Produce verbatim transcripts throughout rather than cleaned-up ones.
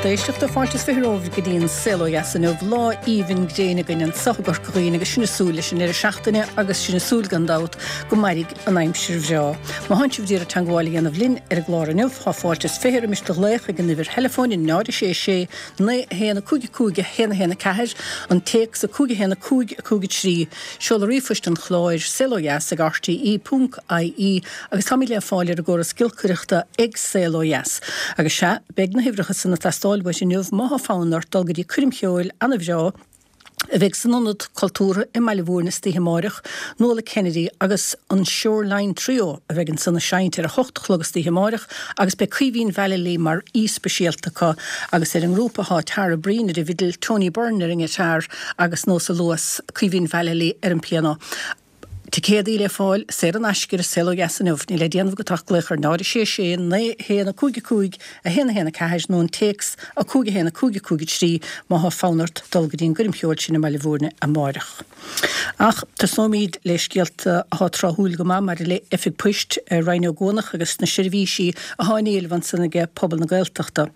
Lucht éisteachta fáilte is fiche romhaibh go dtí an Saol Ó Dheas inniu lá aoibhinn gréine againn anseo i gCorca Dhuibhne agus sinn ag súil leis an deireadh seachtaine agus sinn ag súil gan dabht go mairfidh an aimsir bhreá. Má thánn sibh ag iarraidh teagmháil a dhéanamh linn ar an gclár inniu tá fáilte is fiche roimis do ghlaoch ag an uimhir theileafóin náid sé sé naoi haon cúig cúig haon haon ceathair an téacs a cúig haon cúig cúig trí seoladh ríomhphoist an chláir saolodheas ag RTE ponc IE agus táimid le fáil ar an gcóras giolcaireachta ag Saol Ó Dheas. Agus sea beidh na huimhreacha san ag teastáil uait inniu má thá fonn ort dul go dtí coirm cheoil an-bhreá a bheidh san ionad cultúrtha i mBaile Mhúirne istoíche amárach, Nuala Kennedy agus an Shoreline Trio a bheidh ansan ag seinnt ar a hocht a chlog istoíche amárach agus beidh Caoimhín Vallely mar aoi speisialta acu agus ar an ngrúpa thá Tara Breen ar an bhfidil, Tony Byrne ar an ngiotár agus nós a luas Caoimhín Vallely ar an pianó. Ticéadaí le fáil saor in aisce ar Saol Ó Dheas inniu, níl le déanamh agat ach glaoch ar náid sé sé naoi haon cúig cúig a haon haon ceathair nó an téacs a cúig haon cúig cúig trí má thá fonn ort dul go dtí an gcoirm cheoil sin i mBaile Mhúirne amárach. Ach tosóimid le scéalta atá tráthúil go maith maidir le oifig poist Rinn Ó gCuanach agus na seirbhísí atá in éileamh ansan aige pobal na Gaeltachta.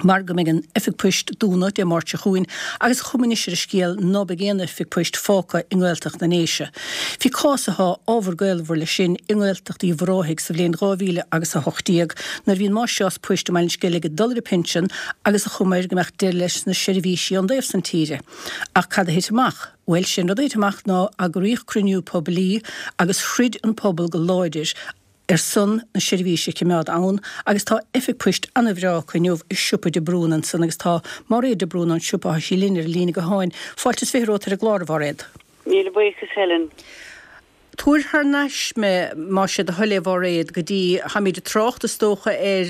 mar go mbeidh an oifig poist dúnadh Dé Máirt seo chugainn agus chuma anois ar an scéal ná beidh aon oifig poist fágtha i nGaeltacht na nDéise. Bhí cás atá ábhar gaolmhar leis sin i nGaeltacht Uíbh Ráthaigh sa bhliain dhá mhíle agus a hocht déag nuair a bhí an máistreás poist i mBaile an Sceilg ag dul ar a pinsean agus an chuma air go mbeadh deireadh leis na seirbhísí ón dtaobh san tíre. Ach cad a thit amach? Bhuel sin rud a thit amach ná eagraíodh cruinniú poiblí agus throid an pobal go láidir ar son na seirbhíse a choimeád ann agus tá oifig poist an-bhreá acu inniu i siopa de Brún ansan agus tá Máiréad de Brún ón siopa tá sí linn ar an líne gutháin. Fáilte is fiche romhat ar an gclár a Mháiréad. Míle buíochas Helen. Tabhair thar n-ais mé más é do thoil é a Mháiréad go dtí tháimid ag trácht is dócha ar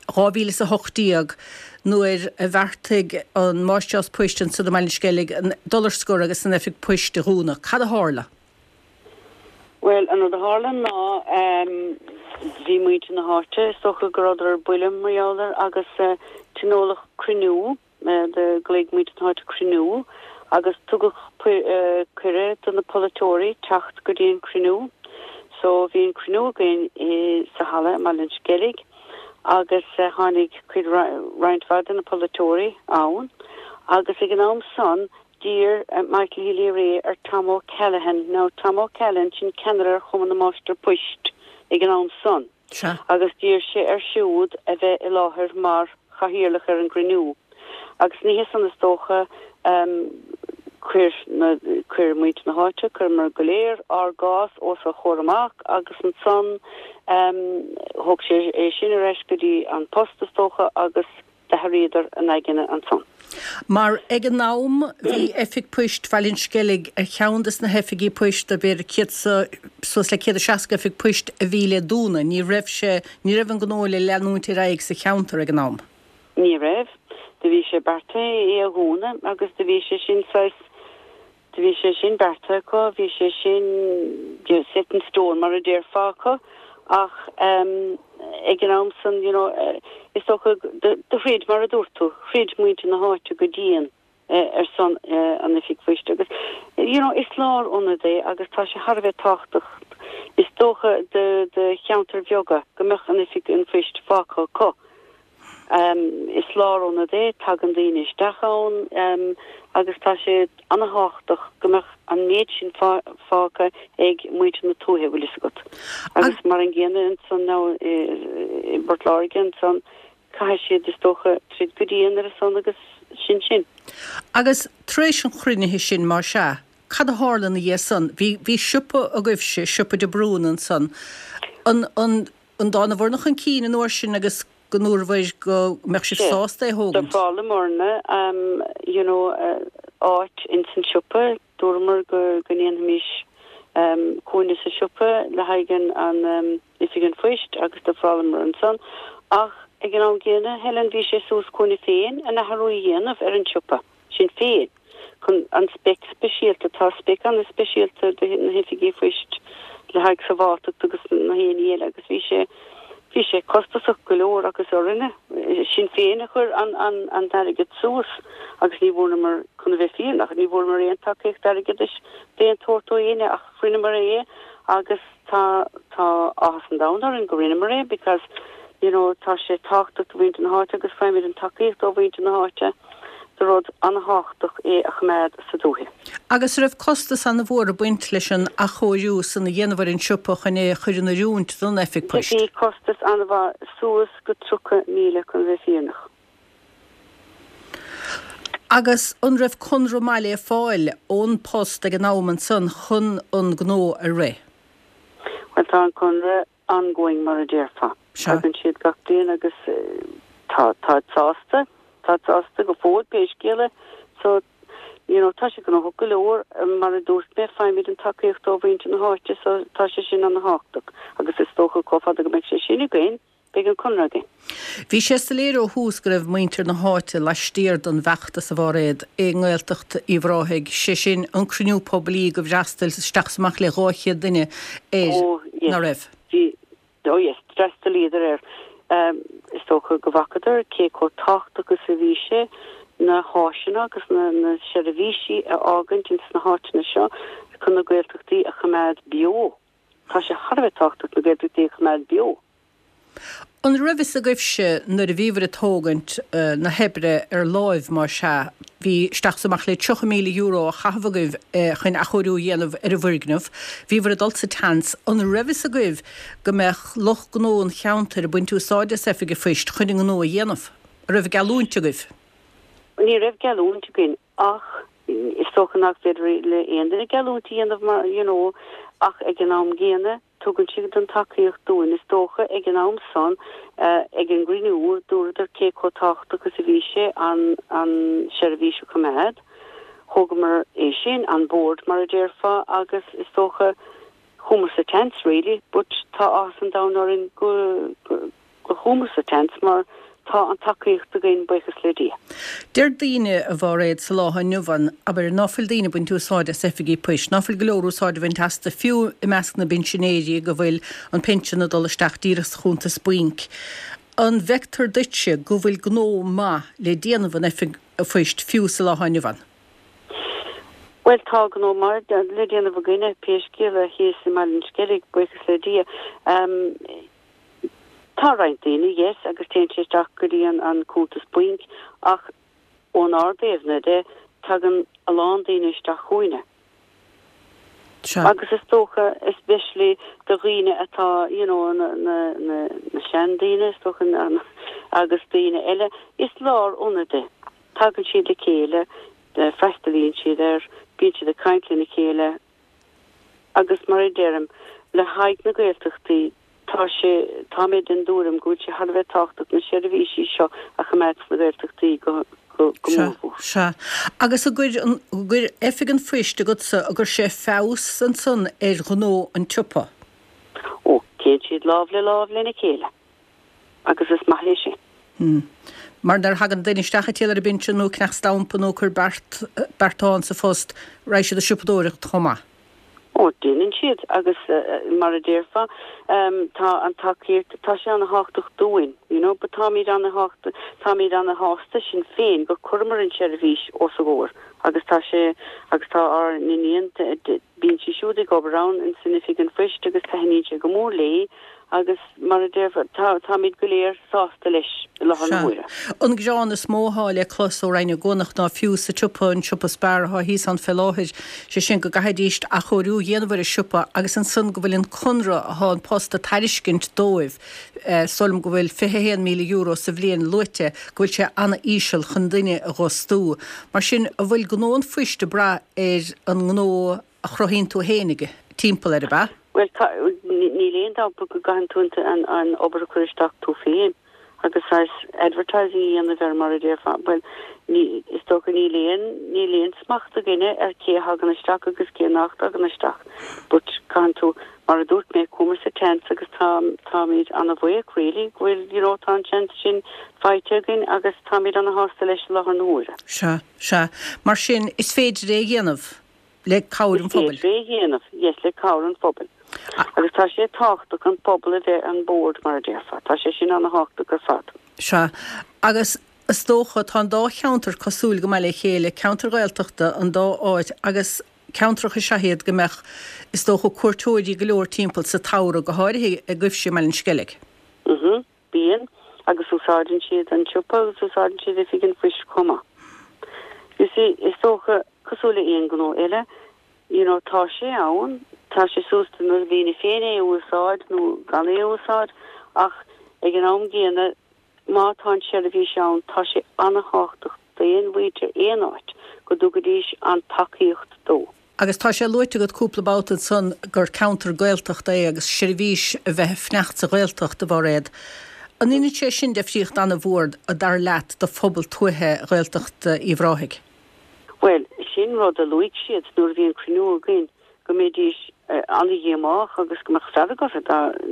dhá mhíle is a hocht déag nuair a bheartaigh an máistreás poist ansan i mBaile an Sceilg dul ar scor agus an oifig poist a dhúnadh. Cad a tharla? Bhuel, an rud a tharla ná bhí muintir na háite, is dócha go rabhadar ar buile mar gheall air agus tionóladh cruinniú, do ghlaoigh muintir na háite cruinniú agus tugadh cuireadh do na polaiteoirí teacht go dtí an cruinniú. So bhí an cruinniú againn sa halla i mBaile an Sceilg agus tháinig cuid roinnt mhaith de na polaiteoirí ann agus ag an am san D'iarr Michael Healy-Rae ar Tom O'Callaghan, now Tom O'Callaghan, sin ceannaire ar Chumann na Máistir Poist ag an am san, agus d'iarr sé air siúd a bheith i láthair mar chathaoirleach ar an gcruinniú. Agus ní hé san is dócha, chuir na, chuir muintir na háite, chuireamar go léir ár gcás os a chomhair amach agus ansan thóg sé é sin ar ais go dtí an post is dócha agus D'athraíodar a n-aigne ansan. Mar ag an am bhí oifig poist Bhaile an Sceilg ar cheann des na hoifigí poist de b'fhéidir céad suas le céad is seasca oifig poist a bhí le dúnadh. Ní raibh sé, ní raibh an gnó le leanúint ar aghaidh sa cheantar ag an am. Ní raibh. Do bhí sé beartaithe é a dhúnadh agus do bhí sé sin saghas Do bhí sé sin beartaithe acu, bhí sé sin set in stone mar a déarfá acu ach ag an am san you know is dócha do throid mar a dúirt tú, throid muintir na háite go dian ar son an oifig phoist agus you know is lárionad é agus tá sé thar a bheith tábhachtach is dócha do do cheantair bheaga go mbeadh an oifig an phoist fágtha acu. Is lárionad é, tagann daoine isteach ann agus tá sé ana-thábhachtach go mbeadh an méid sin fágtha ag muintir na tuaithe, bhfuil fhios agat. Agus mar an gcéanna ansan now i bPort Láirge ansan, caithfidh siad is dócha troid go dian ar a son agus sin sin. Agus tar éis an chruinnithe sin, más ea, cad a tharla ina dhiaidh san? Bhí, bhí siopa agaibhse, siopa de Brún ansan. An, an, an dtánabhair-ne chun cinn an uair sin agus go ndúrabhair go mbeadh sibh sásta é a thógaint. D'ofrálamarna you know áit ins an siopa, dúramar go go ndéanfaimis cúinne sa siopa le haghaidh an an oifig an phoist agus d'ofrálamar ansan ach ag an am gcéanna Helen bhí sé suas chugainne féin an athrú a dhéanamh ar an siopa sin féin. chun an speic speisialta, tá speic an-speisialta do na hoifigí phoist le haghaidh sábháilteacht agus na haon ní eile agus bhí sé, bhí sé costasach go leor agus orainne, sinn féin a chuir an, an, an t-airgead suas agus ní bhfuaireamar, chun a bheith fírinneach, ní bhfuaireamar aon tacaíocht airgeadais d'aon tsórt ó éinne ach rinneamar é agus tá, tá áthas an domhain orainn go rinneamar é because You know, tá sé tábhachtach do mhuintir na háite agus faighimid an tacaíocht ó mhuintir na háite. So rud an-tábhachtach é a choimeád sa dúiche. Agus raibh costas an-mhór ag baint leis an athchóiriú san a dhéanamh ar an siopa chun é a chur in oiriúint don oifig poist? Bhí costas an-mhaith suas go tríocha míle chun bheith fírinneach. Agus an raibh conradh maith le fáil ón post ag an am ansan chun an gnó a rith? Well tá an conradh ongoing mar a déarfá. Tagann siad gach bliain agus tá tá sásta, tá sásta go fóill pé scéal é so you know tá sé gnóthach go leor mar a dúirt mé faighimid an tacaíocht ó mhuintir na háite so tá sé sin an-tábhachtach agus is dócha chomh fada go mbeidh sé sin againn beidh an conradh againn. Bhí sé soiléir ó thús go raibh muintir na háite laistiar den bhfeachtas a Mháiréad i nGaeltacht Uíbh Ráthaigh, sé sin an cruinniú poiblí go bhfreastail isteach is amach le dhá chéad duine air, Oh yes. ná raibh? Bhí, oh yes, d'fhreastalaíodar air. Um, is dócha go bhfacadar cé chomh tábhachtach is a bhí sé na háiseanna agus na, na seirbhísí a fhágaint ins na háiteanna seo chun na Gaeltachtaí a choimeád beo. Tá sé thar a bheith tábhachtach na Gaeltachtaí a choimeád beo. An raibh fhios agaibhse nuair a bhíobhair ag tógaint na hoibre ar láimh mar sea, bhí isteach is amach le tríocha míle euro á chaitheamh agaibh chun athchóiriú a dhéanamh ar an bhfoirgneamh, bhíobhair ag dul sa tseans, an raibh fhios agaibh go mbeadh lucht gnó an cheantair ag baint úsáide as Oifig an Phoist chun a ngnó a dhéanamh? An raibh geallúint agaibh? Ní raibh geallúint againn ach is dócha nach féidir le aon duine geallúint a dhéanamh mar, you know, ach ag an am gcéanna, Tugann siad an tacaíocht dúinn, is dócha, ag an am san, ag an gcruinniú, dúradar cé chomh tábhachtach is a bhí sé an an seirbhís a choimeád. Thógamar é sin an bord, mar a déarfá, agus is dócha, chuamar sa tseans really, but tá áthas an domhain orainn go go go chuamar sa tseans mar Tá an tacaíocht againn, buíochas le Dia. Deir daoine, a Mháiréad, sa lá inniu ann, abair, ná fuil daoine ag baint úsáide as oifigí poist, ná fuil go leor úsáid á bhaint astu, fiú i measc na bpinsinéirí go bhfuil an pinsean ag dul isteach díreach sa chuntas bainc. An bhfeictear duitse go bhfuil gnó maith le déanamh in oifig phoist fiú sa lá inniu ann? Bhuel, tá gnó maith le déanamh againne, pé scéal é, thíos i mBaile an Sceilg, buíochas le Dia. Tá roinnt daoine, yes, agus téann sé isteach go dtí an an cuntas bainc ach ónár dtaobhna de, tagann a lán daoine isteach chugainne. Sea. Agus is dócha, especially do dhaoine atá, you know, na na na na seandaoine, is dócha, na agus daoine eile, is lárionad é. Tagann siad le chéile, freastalaíonn siad air, bíonn siad ag caint lena chéile agus mar a deirim, le haghaidh na Gaeltachtaí, Tá sé, tá mé den dtuairim go bhfuil sé thar a bheith tábhachtach na seirbhísí seo a choimeád sna Gaeltachtaí go, go, go Sea, mórmhór. sea. Agus an gcuir an, gcuir Oifig an Phoist agatsa, an gcuir sé feabhas ansan ar ghnó an tsiopa? Ó, téann siad lámh le lámh lena chéile agus is maith é sin. Hmm. Mar nuair a thagann duine isteach ag triall ar a bpinsean nó ag ceannach stampa nó ag cur beart, beartán sa phost, raghaidh siad ag siopadóireacht chomh maith. Ó, déanann siad agus mar a déarfá, tá an tacaíocht, tá sé ana-thábhachtach dúinn, you know, but táimid ana-thábhachtach, táimid ana-shásta sinn féin gur chuireamar an tseirbhís os a gcomhair agus tá sé, agus tá ár n-iníon, bíonn sí siúd ag obair ann in san Oifig an Phoist agus taitníonn sé go mór léi agus mar a déarfá, tá, táimid go léir sásta leis i láthair na Sea. huaire. An gearán is mó athá le clos ó Rinn na gCuanach ná fiú sa tsiopa, an siopa Spar athá thíos ann fé láthair, sé sin go gcaithfidíst athchóiriú a dhéanamh ar an siopa agus ansan go bhfuil an conradh athá an Post a tairiscint dóibh, is dóigh liom go bhfuil fiche a haon míle euro sa bhliain luaite, go bhfuil sé ana-íseal chun duine a dh'fhostú. Mar sin, an bhfuil gnó an phoist ag brath ar an ngnó a chruthaíonn tú fhéinig timpeall air, ab ea? Bhuel, tá, níl aon dabht go gcaitheann tú an, an obair a chur isteach tú féin agus saghas advertising a dhéanamh air mar a déarfá. Bhuel, ní, is dócha níl aon, níl aon smacht againne ar cé a thagann isteach agus cé nach dtagann isteach. But caitheann tú, mar a dúirt mé, chuamar sa tseans agus tá, táimid ana-bhuíoch really go bhfuil, you know, tá an seans sin faighte againn agus táimid ana-shásta leis i láthair na huaire. Sea, sea. Mar sin, is féidir é a dhéanamh. le cabhair an phobail. Is féidir é a dhéanamh, yes, le cabhair an phobail. Agus tá sé tábhachtach an pobal a bheith on board, mar a déarfá. Tá sé sin ana-thábhachtach ar fad. Sea. Agus is dócha, tá an dá cheantar cosúil go maith le chéile, ceantair Ghaeltachta an dá áit agus ceantracha is ea iad go mbeadh, is dócha, cuairteoirí go leor timpeall sa tsamhradh, go háirithe agaibhse i mBaile an Sceilg. Mhm. Bíonn, agus úsáideann siad an siopa agus úsáideann siad oifig an phoist chomh maith. You see, is dócha, cosúil le aon ghnó eile, you know, tá sé ann, tá sé suas do na daoine féin é a úsáid nó gan é a úsáid, ach ag an am gcéanna, má tá an tseirbhís ann, tá sé an-tábhachtach d'aon mhuintir aon áit go dtugaidís an tacaíocht dó. Agus tá sé luaite agat cúpla babhta ansan gur ceantar Gaeltachta é agus seirbhís a bheith ag fanacht sa Ghaeltacht, a Mhairéad. An ndéanann sé sin difríocht an-mhór, dar leat, do phobal tuaithe Ghaeltacht Uíbh Ráthaigh? Bhuel, sin rud a luaigh siad nuair a bhí an cruinniú againn, go mbeidís an-dhíomách agus go mbeadh fearg orthu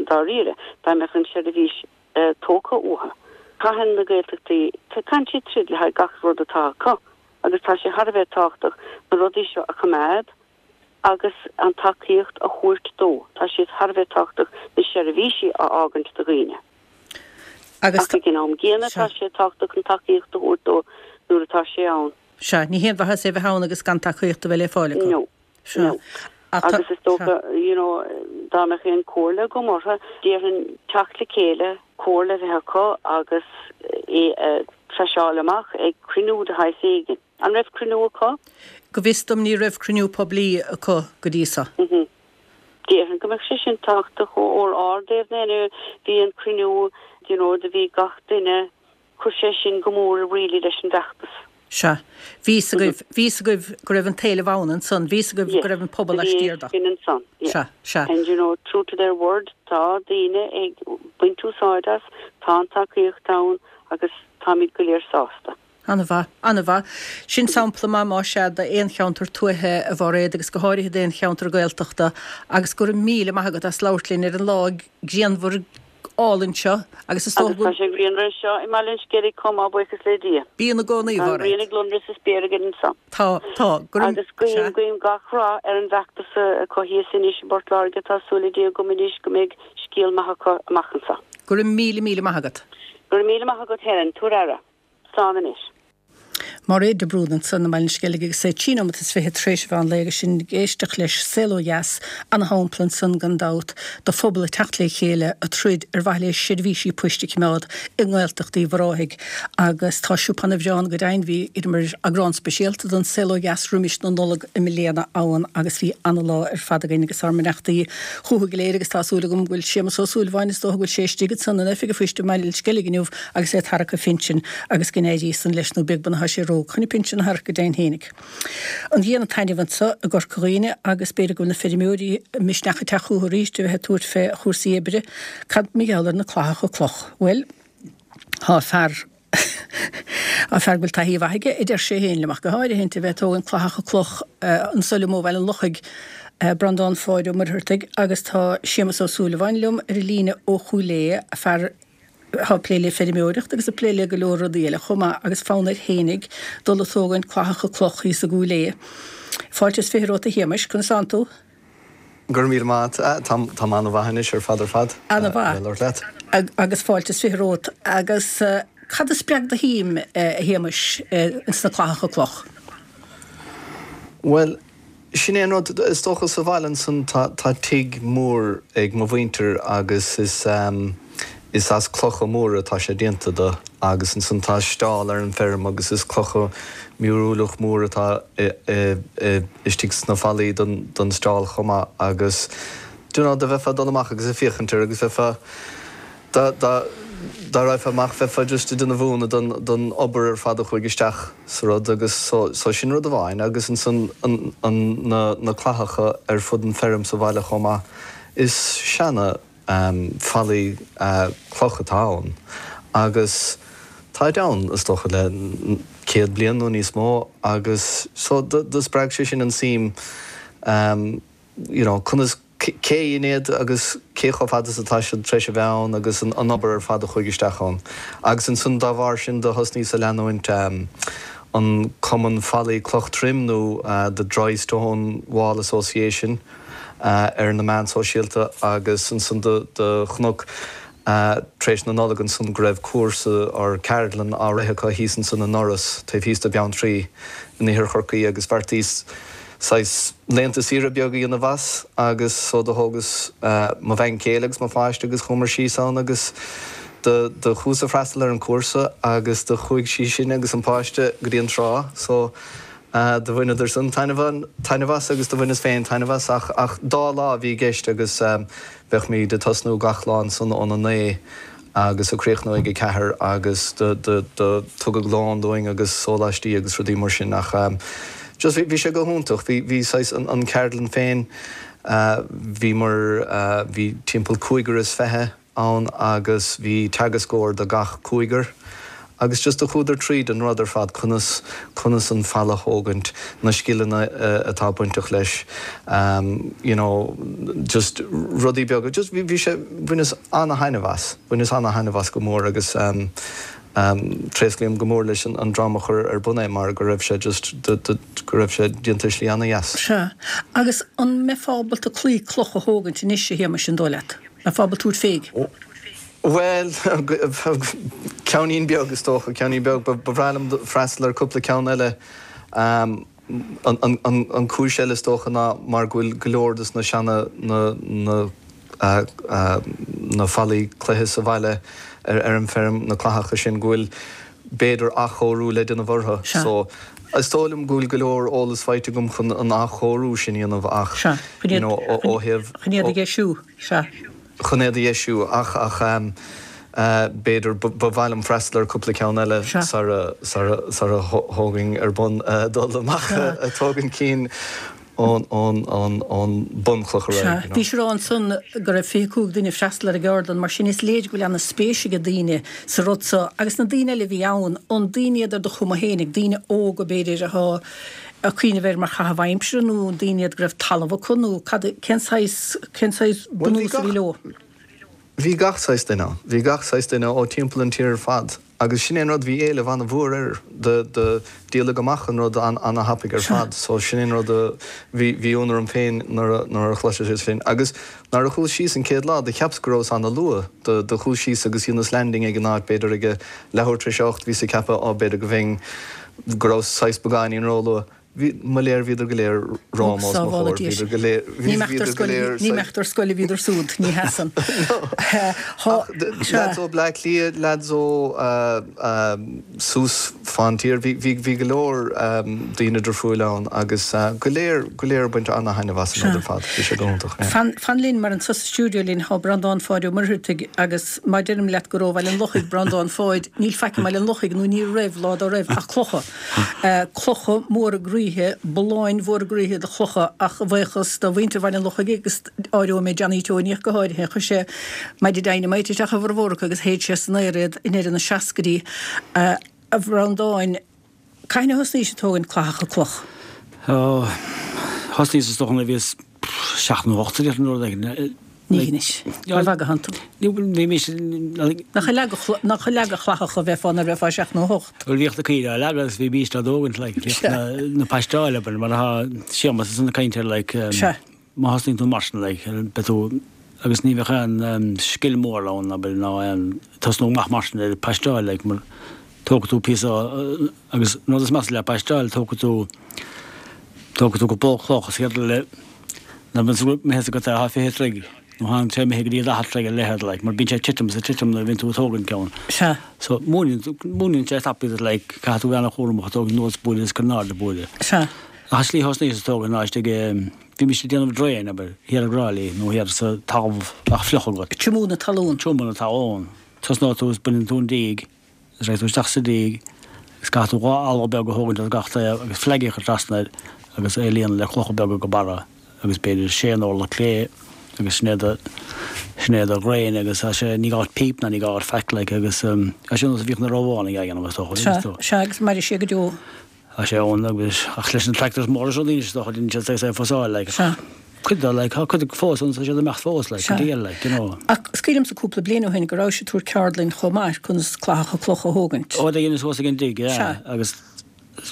dáiríre dá mbeadh an tseirbhís tógtha uathu. Caitheann na Gaeltachtaí, caitheann siad troid le haghaidh gach rud atá acu agus tá sé thar a bheith tábhachtach na rudaí seo a choimeád agus an tacaíocht a thabhairt dó. Tá siad thar a bheith tábhachtach na seirbhísí a fhágaint do dhaoine. Agus Ach ag an am gcéanna tá sé tábhachtach an tacaíocht a thabhairt dó nuair atá sé ann. Sea, ní haon mhaitheas é bheith ann agus gan tacaíocht a bheith le fáil acu. No. Sea. No. Ach tá, Agus is dócha, sea. you know, dá mbeadh aon chomhairle agam orthu, déarfainn teacht le chéile, comhairle a bheith acu agus é a thraseáil amach ag cruinniú de shaghas éigin. An raibh cruinniú acu? Go bhfios dom ní raibh cruinniú poiblí acu go dtí seo. Mhm. Déarfainn go mbeadh sé sin tábhachtach ó ár dtaobh anyway, bhí an cruinniú, you know, do bhí gach duine, chuir sé sin go mór really leis an bhfeachtas. Sea. Bhí fhios agaibh, bhí fhios agaibh go raibh an t-éileamh ann ansan, bhí fhios agaibh go Yes, raibh an pobal bhí laistiar de. sin ansan, yeah. Sea, sea. And you know, true to their word, tá daoine ag baint úsáid as, tá an tacaíocht ann agus táimid go léir sásta. An-mhaith, an-mhaith. Sin sampla maith más ea d'aon cheantar tuaithe a Mhairéad agus go háirithe d'aon cheantar Gaeltachta agus go raibh míle maith agat as labhairt linn ar an lá grianmhar álainn seo agus is dócha Agus tá go sé grianmhar anseo i mBaile an Sceilg chomh maith buíochas le Dia. Bíonn i gcónaí, Tá an Mhairéad. ghrian ag lonradh sa spéir againn anseo. Tá, tá, go raibh, Agus guím, sea. guím gach rath ar an bhfeachtas acu thíos anois i bPort Láirge, tá súil le Dia agam anois go mbeidh scéal maith acu amach anseo. Go raibh míle míle maith agat. Go raibh míle maith agat Helen, tabhair aire. Slán anois. Mairéad de Brún ansan i mBaile an Sceilg agus é trí nóiméad is fiche tar éis an mheán lae agus sinn ag éisteacht leis Saol Ó Dheas, ana-shampla ansan gan dabht do phobal ag teacht le chéile ag troid ar mhaithe le seirbhísí poist a choimeád i nGaeltacht Uíbh Ráthaigh agus tá siopa ana-bhreá ann go deimhin bhí idir eagrán speisialta don Saol Ó Dheas roimis na Nollag i mbliana ann agus bhí ana-lá ar fad againn agus ár mbeannachtaí chucu go léir agus tá súil agam go bhfuil Séamus Ó Súilleabháin is dócha go bhfuil sé istigh ansan in oifig an phoist i mBaile an Sceilg inniu agus é ag tarrac a phinsin agus go n-éirí san leis nó beag beann tá sé ró chun pinsean a tharrac go deimhin fhéinig. An ghrian ag taitneamh anseo i gCorca Dhuibhne agus b'fhéidir go bhfuil na feirmeoirí misneach ag teacht chucu arís a bheith ag tabhairt fé chúrsaí oibre. Cad mar gheall ar na clathacha cloch? Bhuel, tá fear Tá fear go bhfuil taithí mhaith aige, a deir sé féin liom, ach go háirithe a bheith ag tógaint clathacha cloch anso liom ó Bhaile an Lochaigh, Breandán Pháid Ó Muircheartaigh agus tá Séamus Ó Súilleabháin liom ar an líne ó Chúil Aodha, fear atá ag plé le feirmeoireacht agus ag plé le go leor rudaí eile chomh maith agus fonn air fhéinig dul ag tógaint clathacha cloch thíos i gCúil Aodha. Fáilte is fiche romhat a Shéamais, conas tánn tú? Go raibh míle maith agat. Tá mé an-mhaith anois ar fad ar fad. An-mhaith. Labhairt leat. Agus fáilte is fiche romhat. Agus cad a spreag do shuim, a Shéamais, ins na clathacha cloch? Bhuel, sin é an rud, is dócha sa bhaile ansan tá tá tigh mór ag mo mhuintir agus is is as clocha móra atá sé déanta de agus ansan tá steall ar an bhfeirm agus is clocha miorúileach mór atá istigh sna fallaí don don steall chomh maith agus do you know do bheifeá ag dul amach agus ag féachaint air agus bheifeá dá dá dá raghfá amach bheifeá just ag déanamh ionadh don don obair ar fad a chuaigh isteach sa rud agus so so sin rud amháin agus ansan an an na na clathacha ar fud an feirm sa bhaile chomh maith is seana fallaí cloch atá ann agus táid ann is dócha le céad bliain nó níos mó agus so do do spreag sé sin an suim you know conas cé a dhein iad agus cé chomh fada is atá siad tar éis a bheith ann agus an obair ar fad a chuaigh isteach ann. Agus ansan dá bharr sin do thosnaíos a leanúint an Cumann Fallaí Cloch Troim nó The Dry Stone Wall Association ar na meáin sóisialta agus ansan do chonac tar éis na Nollag ansan go raibh cúrsa or ceardlann á rith acu thíos ansan in Iorras taobh thíos de Bheanntraí in Iarthar Chorcaí agus bheartaíos saghas laethanta saoire beag a dhéanamh as agus so do thógas mo bhean chéile agus mo pháiste agus chuamar síos ann agus do do chuas ag freastal ar an cúrsa agus do chuaigh sí sin agus an páiste go dtí an trá so uh, do bhaineadar san taitneamh as agus do bhaineas féin taitneamh as ach ach dá lá a bhí i gceist agus um, bheadh muid ag tosnú gach lá ansan óna naoi agus ag críochnú ag a ceathair agus do do do tugadh lón dúinn agus sóláistí agus rudaí mar sin ach um, just bhí sé go hiontach bhí bhí saghas an, an ceardlann féin uh, bhí mar uh, bhí timpeall cúigear is fiche ann agus bhí teagascóir do gach cúigear. Agus just do chuadar tríd an rud ar fad conas conas an falla a thógaint na scileanna uh, atá bainteach leis um, you know, just rudaí beaga just bhí bhí sé bhaineas an-thaitneamh as bhaineas an-thaitneamh as go mór agus um, um, tréaslaím go mór leis an, an dream a chuir ar bun é mar go raibh sé just do, do, go raibh sé déanta slí ana-dheas. Sea. Agus an mbeifeá ábalta claí cloch a thógaint anois a Shéamais an dóigh leat? Mbeifeá ábalta tabhairt féig? Well, ceannín beag is dócha ceannín beag ba bhreá liom freastal ar cúpla ceann eile um, an, an, an, an cúis eile is dócha ná mar go bhfuil go leor des na seana na, na, uh, uh, na fallaí cloiche sa bhaile ar, ar an feirm na clathacha sin go bhfuil b'fhéidir athchóiriú le déanamh orthu. Sea. So is dóigh liom go bhfuil go leor eolas faighte agam chun an athchóiriú sin a dhéanamh ach Sea. you know, ó ó thaobh Chun iad a dheisiú. Sea. chun iad a dheisiú ach ach um, uh, b'fhéidir ba mhaith liom freastal ar cúpla ceann eile Sea. sara sara sara thógainn ar bun uh, dul amach ag tógaint cinn ón ón ón ón bunchloch Sea. ar aghaidh, you know. Bhí sé ansan go raibh fiche cúig duine ag freastal ar an gceardlann mar sin is léir go bhfuil ana-spéis ag daoine sa rud seo agus na daoine eile a bhí ann an daoine iad ar do chuma fhéinig daoine óga b'fhéidir atá ag cuimhneamh air mar chaitheamh aimsire nó daoine iad go raibh talamh acu nó cad cén saghas cén saghas Well, bhí bunús a bhí gach- leo. Bhí gach saghas duine ann. Bhí gach saghas duine ó timpeall an tír ar fad. Agus sin é an rud bhí éileamh an-mhór air de de díoladh amach an rud an an-thapaidh ar fad, so sin é an rud a bhí bhí ionadh orm féin nuair a nuair a chloiseas sé sin. Agus nuair a chuas síos an chéad lá do cheapas go rabhas an-luath do do chuas síos agus dhéanas landing ag an áit b'fhéidir ag a leathuair tar éis a hocht bhíos ag ceapadh á b'fhéidir go bhfeinn go raibh saghas beagáinín róluath. Bhí mo léir bhíodar go léir romham os mo chomhair, bhíodar go léir Ní mbeadh bhíodar go léir ní mbeadh ar scoil a bhíodar súd, ní heasan. Lads ó Bleá Cliath, lads ó uh, um, suas fán tír, bhí bhí bhí go leor um, daoine difriúil ann agus uh, go léir go léir baint an-thaitneamh as an rud ar fad, bhí sé go hiontach. yeah. Fan, fan linn mar anseo sa stiúideo linn tá Breandán Pháid Ó Muircheartaigh agus má deirim leat gur ó Bhaile an Lochaigh Breandán Pháid, níl faic i mBaile an Lochaigh nó ní raibh lá dá raibh ach clocha. Uh, clocha móra groíthe, bolláin mhóra groíthe de chlocha ach bhuíochas do mhuintir Bhaile an Lochaigh agus áireoidh mé Johnny Tony go háirithe chuir sé maide dynamite isteach i bhformhór acu agus shéid sé san aer iad i ndeireadh na seascaidí uh, a Bhreandáin cathain a thosnaís ag tógaint clathacha cloch. Ó, thosnaíos is dócha nuair a bhíos seacht nó ocht ar an rud éigin. Ní anois. Ja. Mar bhaga hantu. Ní bhí mise Nach leagadh nach leagadh clathacha a bheifeá nuair a bheifeá seacht nó hocht. Bhuel bhíodh na caoirigh á leagadh agus bhí bíst á dtógaint like, bhíodh na, na paisteáil abair, mar atá Séamus is an caint air like, um, Sea. má thosnaíonn tú mar sin like, beidh tú agus ní bheadh aon um, scil mór ann abair ná aon tosnú amach mar sin ar paisteáil like, mar tógfaidh tú píosa uh, agus rud is measa le paisteáil tógfaidh tú tógfaidh tú cúpla cloch is céard le na ben mé go tá fiche troigh nó tháinig sé imithe go dtí daichead troigh a leithead like, mar bíonn sé titim is titim nuair a bhíonn tú ag tógaint ceann. Sea. So múineann múineann sé tapaidh like, caithfidh tú bheith an-chúramach tógaint anuas buaile is go n-ard buaile. Sea. Ach an slí thosnaíos ag tógaint ná istigh bhí mise ag déanamh draein abair thiar i dTrá Lí nó thiar sa talamh ach fliuch agat. Tiomú na talún. Tiomú na talún. Tosnóidh tú is baineann tú an díg, is raghaidh tú isteach sa díg, is caithfidh tú dhá eala beag a thógaint as gach taobh agus flag a chur trasna air agus é a líonadh le clocha beaga go barra agus b'fhéidir sé orlach clé agus sin é do sin é do dhraein agus tá sé ní gá píp ná ní gá faic like agus um, a sin a bhíodh na Rómhánaigh ag déanamh is dócha, Sea, is dócha. sea agus mairfidh sé go deo. Tá sé ann agus ach leis na tractors móra seo daoine is dócha daoine sé sé fosáil like. Sea. Cuid de like, tá cuid fós ann tá siad ag imeacht fós like, Sea. go diail like, you know. Ach is cuimhin liomsa cúpla bliain ó shin go raibh sé tabhairt ceardlann chomh maith conas clathacha cloch a thógaint. Ó, dhéanas suas ag an dtig, yeah. Sea. Agus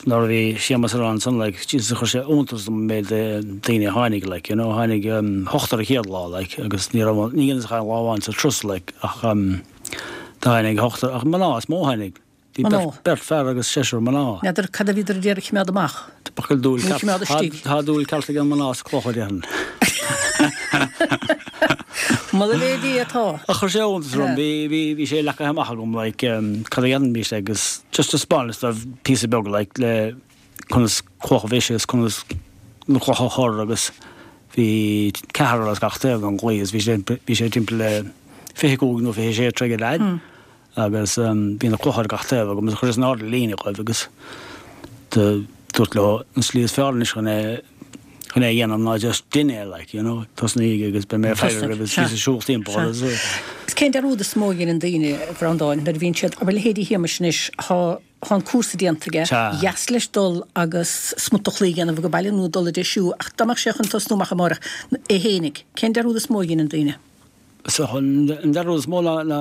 nuair a bhí Séamus ar an san like, Jesus chuir sé iontas an méid daoine a tháinig like, you know, tháinig um, hochtar a chéad lá like, agus ní raibh ní dhéanas ach aon lá amháin sa turas like, ach um, tháinig hochtar ach mná is mó tháinig. Bhí Mná. beirt beirt fear agus seisear mná. N'fheadar cad a bhíodar ag iarraidh coimeád amach. B'fhéidir dúil Ní ceart- choimeád istigh. Tá dúil ceart ag an mná sa clocha déarfainn. Moladh le Dia atá. Ach chuir sé iontas orm, bhí, bhí, bhí sé leagtha amach agam like cad a dhéanfaimis agus just taispeánas dóibh píosa beag like le conas cloch a bhriseadh is conas na clocha a chur agus bhí ceathrar as gach taobh den gclaí is bhí sé, bhí sé timpeall le fiche cúig nó fiche sé troigh ar fhad agus bhí na clocha ar gach taobh agam agus chuireas in airde líne dhóibh agus do dúrt leo an slí is fearr anois chun é chun é a dhéanamh ná just déan é like you know tosnaígí agus beidh mé ag faire oraibh agus bhíos ag siúl timpeall agus Is cén dearúd is mó a dhéanann daoine, a Bhreandáin, nuair a bhíonn siad, abair leithéidí Shéamais anois, thá thá an cúrsa déanta aige, dheas leis dul agus smut de chlaí a dhéanamh age baile nó dul ag deisiú ach dá mbeadh sé chun tosnú amach amárach é fhéinig, cén dearúd is mó a dhéanann daoine? So an dearúd is mó ná ná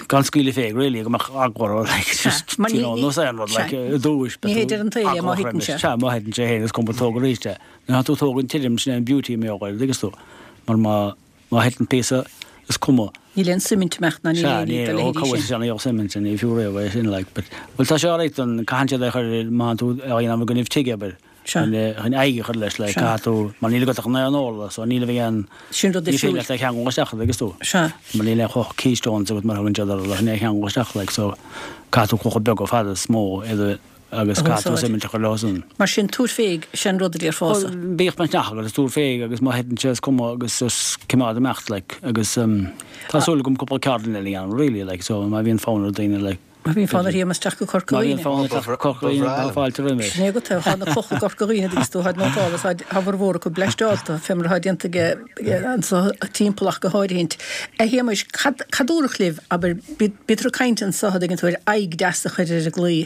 gan scaoileadh fé really go mbeadh eagla orthu like just you know nós aon rud like i dtús Ní hé deir an tsaoil é má thiteann sé. Sea má thiteann sé féin is cuma tóg arís é. Nuair atá tú ag tógaint tirim sin é an beauty i mbeoga ar dtuigeann tú mar má má thiteann píosa is cuma. Níl aon suimint amach ná níl Sea aon ní ní dá ó leithéidí cá bhfuil sin. sé ní suimint ní fiú riamh é sin like but bhuel tá sé alright don caitheann siad é a chur má tá tú á dhéanamh i gcoinnibh tighe abair. Sea. Chun chun aghaidh a chur leis like Sea. caithfidh tú mar níl agat ach naoi n-orla so níl a bheidh aon Sin rud ní féidir difriúil. leat é a cheangal isteach an dtuigeann tú. Sea. Mar níl aon chloch keystones agat mar a thugann siad orthu le chun é a cheangal isteach like so caithfidh tú clocha beaga fada is mó iad a agus A caithfidh tú úsáid. suimint a chur leo san. Mar sin tabhair féig, sin rud a déarfása. Bhuel bíodh misneach agat is tabhair féig agus má thiteann sé is cuma agus just coimeád imeacht like agus um, tá súil agam cúpla ceardlann eile a dhéanamh really like so má bhíonn fonn ar daoine like Má bhíonn fonn ar Shéamus teacht go Corca Má bhíonn Dhuibhne. fonn air teacht go Corca Dhuibhne, tá fáilte roimhe. Sin é agat é, tá na clocha i gCorca Dhuibhne agus tú tháid nótáil, tá a bhformhór acu bleaisteálta, fé mar atá déanta aige anso timpeall ach go háirithint. A Shéamais, cad cad dúradh libh, abair, bítear ag caint anso a dtuigeann tú ar aghaidh deas a chur ar an gclaí,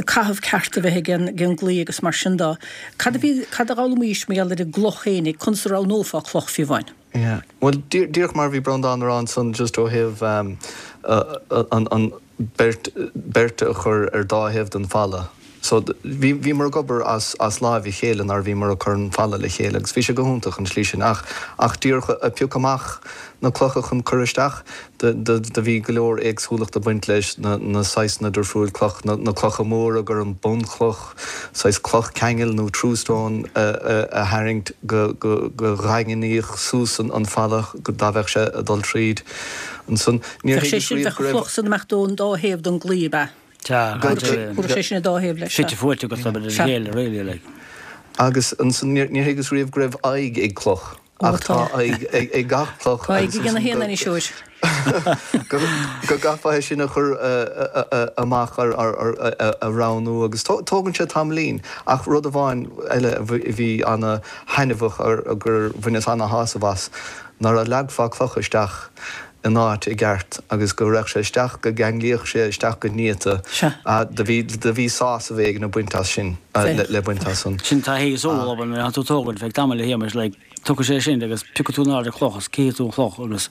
caitheamh ceart a bheith ag an ag an gclaí agus mar sin dó. Cad a bhí, cad a d'fhoghlaimís mar gheall ar an gcloch fhéinig, conas a roghnófá cloch fiú amháin? Yeah. Well, díreach mar bhí Breandán a rá ansan just ó thaobh um, uh, an, an beirt, beirt a chur ar dá thaobh den falla. So bhí bhíomar ag obair as, as láimh a chéile nuair a bhíomar ag cur an falla le chéile agus bhí sé go hiontach an tslí sin ach ach díreach a piocadh amach na clocha chun cur isteach do, do, do bhí go leor éagsúlacht ag baint leis na, na saghsanna difriúil cloch, na, na clocha móra gur an bunchloch, saghas cloch ceangail nó true stone a, a, a tharraingt go, go, go dhaingníodh suas an, an falla go dá bheadh sé ag dul tríd. Ansan níor Bheadh sé thuigeas sin, riamh bheadh go an raibh chloch san amach ón dá thaobh den gclaí, ab ea? Sea, Go- go- Chuir sé sin i dá thaobh leis, sea. Fite fuaite agat le Sea. chéile, really, like. Agus ansan níor níor thuigeas riamh go raibh aghaidh ag cloch. Ó, Ach tá tá. aghaidh ag, ag gach cloch Tá agus aghaidh ag ansan na haon go- ainniseoir. go go gcaithfeá é sin a chur uh, uh, uh, amach ar, ar, ar, a, a roghnú agus tó- tógann sé tamaillín ach rud amháin eile a bhí a bhí ana-thaitneamhach ar gur bhaineas ana-shásamh as nuair a leagfá cloch isteach in áit i gceart agus go raibh sé isteach go gceanglaíodh sé isteach go néata. Sea. Do bhí do bhí sásamh éigin ag baint as sin uh, le, le baint as san. Sin taithí is eol abair nuair atá tú tógaint feadh tamaill a Shéamais like tiocfaidh sé sin agus piocfaidh tú in airde cloch agus cífidh tú an chloch agus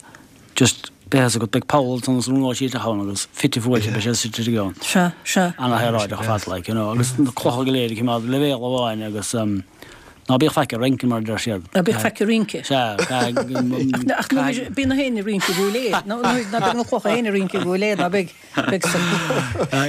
just beidh a fhios agat beidh poll ansan is rúnóidh sí isteach ann agus fite fuaite beidh sé suite i gceann. Sea, sea. Ana-shaoráideach ar fad like you know agus na clocha go léir ag coimeád leibhéal amháin agus um, ná bíodh faic ag rince mar a deir siad. Ná bíodh faic ag rince. Sea, Ach ná bíonn na héin ag rince go léir. Ná bíonn na clocha féin ag rince go léir, ná beidh beidh sa.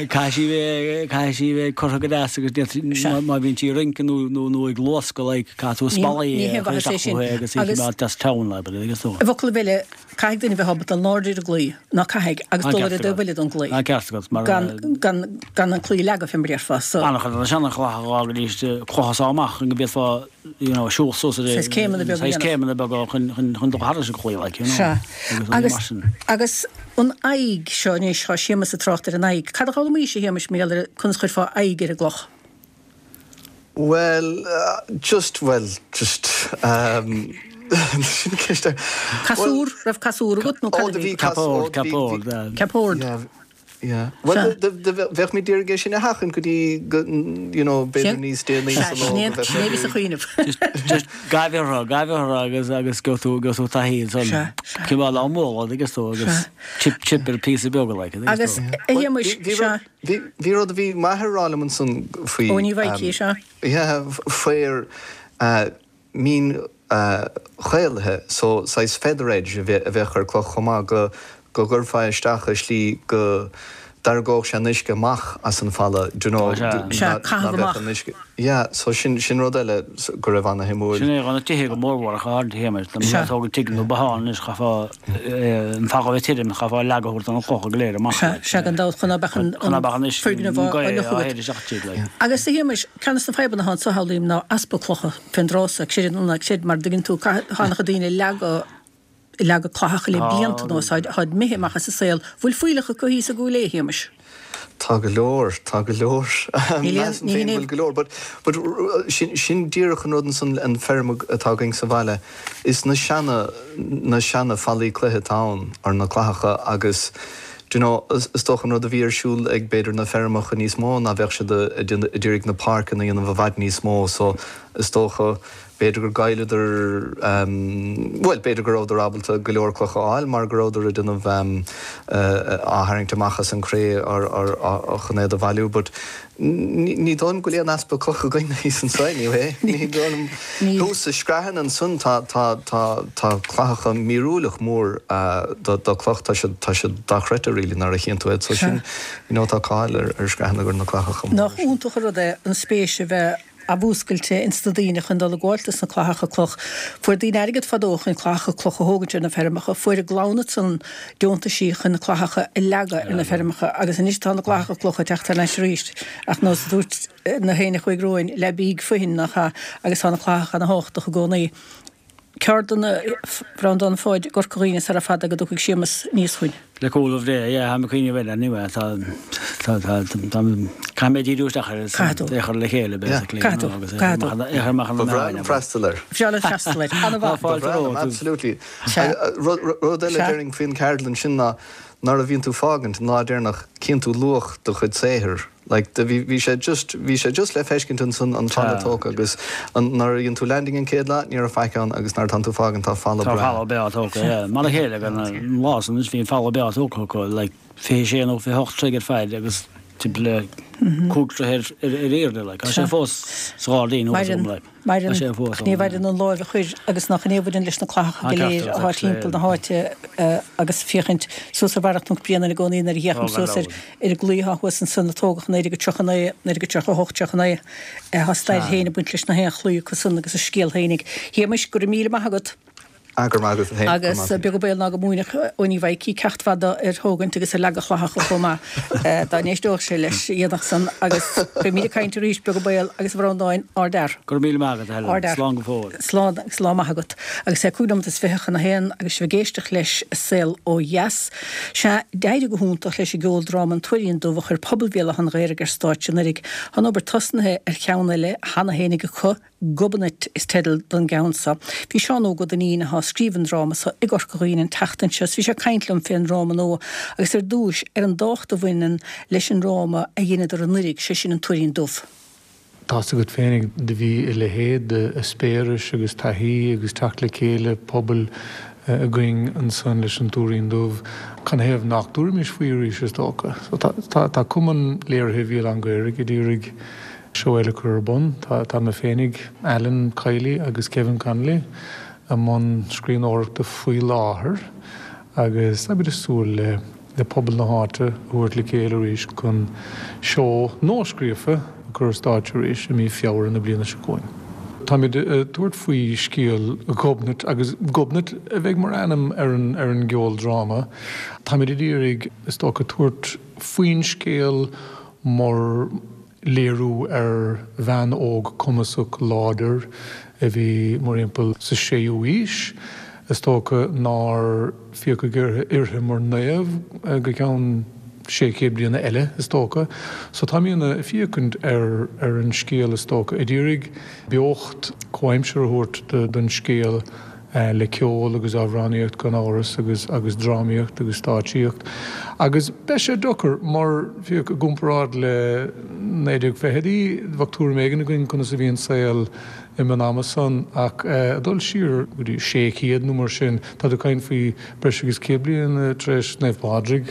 Caithfidh sí bheith caithfidh sí bheith curtha go deas agus Sea. má bhíonn sí ag rince nó nó nó ag luascadh like caithfidh tú spallaí ní a haon chur mhaitheas é isteach sin. uathu agus í Agus- coimeád deas teann le agus tú. I bhfocal eile caithfidh duine bheith ábalta dul in airde ar an gclaí, ná caithfidh agus An dul ar ceart an dtaobh agat. eile don gclaí. An ceart agat mar Gan gan gan an claí a leagadh fé mar a déarfá so. An-chuid de na seanchlocha dhá go dtí clocha sá amach go bhféadfá you know, siúl suas ar Saghas céimeanna beaga saghas dhéanamh. céimeanna beaga chun chun chun dul thairis an chlaí like, you know. Sea. Agus Agus mar sin. agus an aghaidh seo anois tá Séamus ag trácht ar an aghaidh. Cad a d'fhoghlaimís a Shéamais mar gheall ar conas chuirfeá aghaidh ar an gcloch? Well, uh, just well, just um, sin ceist ar- Casúr, raibh casúr agat nó Ó, cad a do bhí? bhí cas- Ceap ord, ó, do bhí- ceap ord, bhí- uh, Ceap ord. Yeah, yeah. Well, Sea. bheadh mé d'iarraidh é sin a sheachaint go dtí go, you know, b'fhéidir Sin- níos déanaí Sea, sa lá sin go bheadh sin é bhí sa sé- chuimhneamh. Just just gabh orthu, gabh orthu agus agus go tú go tú taithí Sea, san sea. cineál á mbualadh agus tú agus Sea. chip chip ar píosa beaga like Agus tú. a Shéamais, Bhí- bhí sea. rud- Bhí bhí rud a bhí m'athair a rá liom ansan faoi Ó, ní bhfaighidh, sea. Yeah, faor uh, mín uh, chaolaithe, so saghas feather edge a bheith a bheadh ar cloch chomh maith go go gcuirfeá isteach i slí go D'argódh sé an uisce amach as an falla, do you know, Sea, caitheamh amach. Yeah, so sin sin rud eile go raibh ana-shuimiúil. Sin é na tithe go mórmhór ach ard théama, tá mé ag tógáil tigh nó bothán anois chaithfeá an falla a bheith tirim, chaithfeá leagadh a thabhairt do na clocha go léir amach. Sea, sea, gan dabht, chun ná beadh an Chun ná beadh an uisce foirgneamh á an gaoth fhliuchadh á agat. théad isteach tríd, like. Agus a Shéamais, ceann de na fadhbanna atá anso shamhlaím ná easpa clocha fén dtráth so, creid nó ná creid, mar dtuigeann tú, caithfidh, tá an-chuid daoine ag leagadh, leagadh clathacha le blianta anuas, táid imithe amach as an saol. Bhfuil fuílleach acu thíos i gCúil Aodha, a Shéamais? Tá go leor, tá go leor. Measaim féin go bhfuil go leor, but but sin sin díreach an rud ansan an feirm atá againn sa bhaile, is na seana na seana fallaí cloiche atá ann, or na clathacha agus do you know is is dócha an rud a bhí ar siúl ag b'fhéidir na feirmeacha níos mó ná bheadh siad ag iarraidh na páirceanna a dhéanamh i bhfad níos mó so is dócha B'fhéidir gur ghoilleadar, bhuel, b'fhéidir go rabhadar ábalta go leor clocha a fháil mar go rabhadar ag déanamh, á tharraingt amach as an gcré chun iad a bhailiú but ní dóigh liom go bhfuil aon easpa clocha againn thíos anseo anyway. Ní dóigh liom. Thuas sa Screathan ansan tá, tá, tá, tá clathacha míorúileach mór do, do cloch, tá siad, tá siad dochreidte really nuair a chíonn tú iad so sin, you know, tá cáil ar, ar Screathan gur na clathacha móra Nach sin. iontach an rud é an spéis a bheith athmhúscailte ins na daoine chun dul ag gabháilt dos na clathacha cloch. Fuair daoine airgead fadó chun clathacha cloch a thógaint ar na feirmeacha, fuair a gclann ansan deontaisí chun na clathacha a leagadh ar na feirmeacha agus anois tá na clathacha cloch ag teacht thar n-ais arís ach nós a dúirt na héinne a chuaigh romhainn, le bídh foithin nach ea agus tá na clathacha ana thábhachtach i gcónaí. Ceardlann a Bhreandáin Pháid i gCorca Dhuibhne sara fada go dtiocfaidh Séamus aníos chugainn. Le cúnamh Dé, yeah, táim ag cuimhneamh air anyway, tá, tá, tá, tá, caithfidh mé díriú isteach air is Caithfidh tú. é a chur le chéile basically, Caithfidh tú, you know, agus é caithfidh tú. a chur amach, é a chur amach ar Ba na bhreá meáin, liom abair. freastal air. Bhreá leat freastal air. Tá An-mhaith. Ba fáilte bhreá liom, romhat. absolutely. Sea. Rud, rud eile Sea. déarfainn faoin cheardlann sin ná nuair a bhíonn tú fágaint an lá deireanach cíonn tú luach do chuid saothair. Like do bhí bhí sé just bhí sé just le feiscint ansan an falla Tá. tógtha agus an nuair a dhein tú landing an chéad lá ní raibh faic ann agus nuair atánn tú fágaint tá falla Tá breá. falla breá tógtha, yeah. Mar a chéile gan an lá san anois bhí an falla breá tógtha acu like fiche sé nó fiche hocht troigh ar faid agus timpeall le cúig troigh ar ar airde like. Tá sé fós sa ghairdín thuas agam Maireann, like. Tá maireann, sé fós ach ní ann, yeah. mhaireann an láimh a chuir agus nach in é a bhaineann leis na clathacha Tá go ceart léir agat atá actually, timpeall yeah. na háite agus féachaint suas ar Bharra Chnoc Bréanainn i gcónaí nuair a Tá fhéachaim gan suas ar dabht. ar an gclaí atá thuas ansan a tógadh naoi déag tríocha naoi, naoi déag tríocha hocht, tríocha naoi. Tá stair Tá. féin ag baint leis na haon chlaí acu san agus a scéal féinig. Shéamais, go raibh míle maith agat. Ah, go raibh maith agat féin, go raibh Agus maith agat. beag an baol ná go múinfeadh Owenie Mhaidhcí ceacht fada ar thógaint agus ar leagadh clathacha chomh maith, dá n-éisteodh sé leis, dhéanfadh san agus beimid ag caint arís, beag an baol, agus a Bhreandáin, ardfhear. Go raibh míle maith agat, a Helen. Ardfhear. Slán go fóill. Slán agus lá maith agat. Agus é cúig nóiméad is fiche chun a haon agus sibh ag éisteacht leis Saol Ó Dheas. Sea, d'éirigh go hiontach leis an gceoldráma An Tuairín Dubh a chuir pobal Bhéal Átha an Ghaorthaidh ar stáitse anuraidh. Tá an obair tosnaithe ar cheann eile cheana fhéinig acu, Gobnait is teideal don gceann seo. Bhí Seán Óg Ó Duinnín, atá ag scríobh an dráma seo, i gCorca Dhuibhne an tseachtain seo is bhí sé ag caint liom fén ndráma nua agus ar dtúis ar an dtábhacht a bhaineann leis an ndráma a dheineadar anuraidh, sé sin An Tuairín Dubh. Tá's agat féinig, do bhí a leithéid d'eispéiris agus taithí agus teacht le chéile pobail againn ansan leis an Tuairín Dubh. Canathaobh nach dtabharfaimis faoi arís, is dócha. So tá, tá, tá Cumann Léirithe Bhéal Átha an Ghaorthaidh ag iarraidh seó eile a chur ar bun. Tá, tá mé féinig, Alan Kiely agus Kevin Connolly i mbun scríbhneoireachta faoi láthair agus táimid ag súil le le pobal na háite a thabhairt le chéile arís chun seó nua-scríofa a chur ar stáitse arís i mí Feabhra na bliana seo chugainn. Táimid ag tabhairt faoi scéal Ghobnait agus Gobnait a bheidh mar ainm ar an ar an gceoldráma. Táimid ag iarraidh, is dócha, tabhairt faoin scéal mar léiriú ar bhean óg cumasach láidir a bhí mórthimpeall sa séú haois. Is dócha nár féachadh uirthi mar naomh go ceann sé chéad bliana eile, is dócha. So táimid ag féachaint ar ar an scéal, is dócha, ag iarraidh beocht comhaimseartha a thabhairt don scéal le ceol agus amhránaíocht gan amhras agus agus drámaíocht agus stáitsíocht. Agus beidh sé deacair mar féach i gcomparáid le naoi déag fichidí, bheadh tuairim éigin againn conas a bhí an saol i an ama san ach ag dul siar go dtí sé chéad nó mar sin, tá tú ag caint faoi breis agus céad bliain tar éis Naomh Pádraig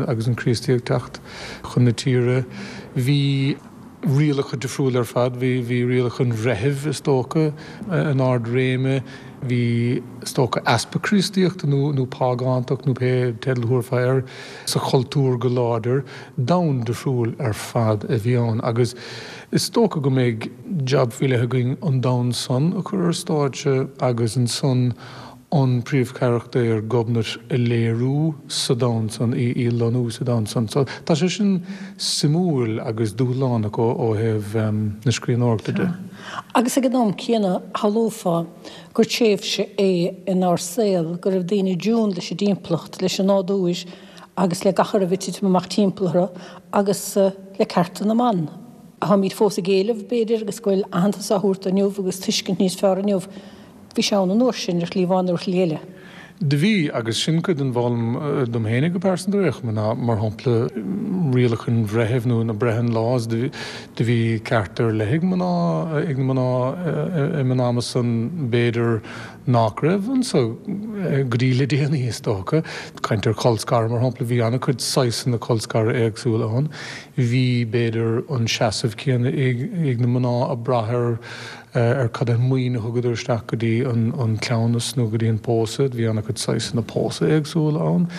agus an Chríostaíocht teacht chun na tíre. Bhí rialacha difriúil ar fad, bhí bhí rialacha an bhreithimh is dócha in ard réime. Bhí, is dócha, easpa Críostaíochta nó nó págántacht nó pé teideal a thabharfá air sa chultúr go láidir. Domhan difriúil ar fad a bhí ann agus is dócha go mbeidh jab faoi leith againn an domhan san a chur ar stáitse agus ansan an príomhcharachtar Gobnait a léiriú sa domhan san, í a lonnú sa domhan san. So tá sé sin suimiúil agus dúshlánach ó ó thaobh na scríbhneoireachta de. Agus ag an am céanna shamhlófá gur tréimhse é inár saol go raibh daoine i dtiún leis an dtimpeallacht, leis an nádúr agus le gach a raibh ag titim amach timpeall orthu agus le cearta na mban. Táimid fós ag éileamh, b'fhéidir, agus go bhfuil aitheantas á thabhairt inniu agus tuiscint níos fearr inniu. Bhí sé ann an uair sin, ar shlí amháin nó ar shlí eile. Do bhí, agus sin cuid den bhfoghlaim dom fhéinig go pearsanta ar aon chuma, ná, mar shampla, rialacha an bhreithimh nó na Brehon Laws, do bhí cearta ar leith ag mná, ag na mná im an ama san, b'fhéidir nach raibh anso go dtí le déanaí, is dócha. Caint ar cholscaradh, mar shampla, bhí an-chuid saghsanna colscaradh éagsúla ann. Bhí, b'fhéidir, an seasamh céanna ag na mná ag brath ar ar cad é an maoin a thugadar isteach go dtí an cleamhnas nó go dtí an pósadh. Bhí an-chuid saghsanna pósadh éagsúla ann.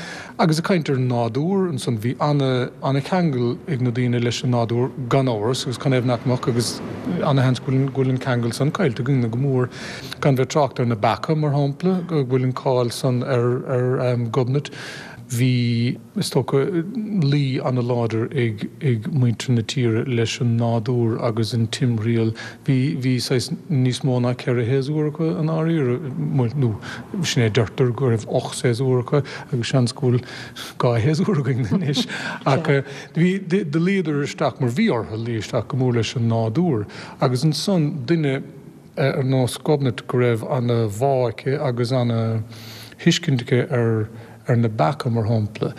Agus ag caint ar an nádúr ansan, bhí ana-cheangal ag na daoine leis an nádúr gan amhras, agus canathaobh nach mbeadh, agus ana-sheans go bhfuil an ceangal san caillte againne go mór. Gan bheith ag trácht ar na beacha, mar shampla, go bhfuil an cáil san ar Ghobnait. Bhí, is dócha, luí an-láidir ag ag muintir na tíre leis an nádúr agus an timthriall. Bhí, bhí saghas níos mó ná ceithre shéasúr acu i ndáiríre, nó sin é a deirtear, go raibh ocht séasúr acu agus seans go bhfuil dhá shéasúr againn anois. Ach bhí, do luíodar isteach, mar bhí orthu luí isteach go mór leis an nádúr. Agus ansan duine ar nós Gobnait go raibh ana-bhá aici agus ana-thuiscint aici ar ar na beacha, mar shampla.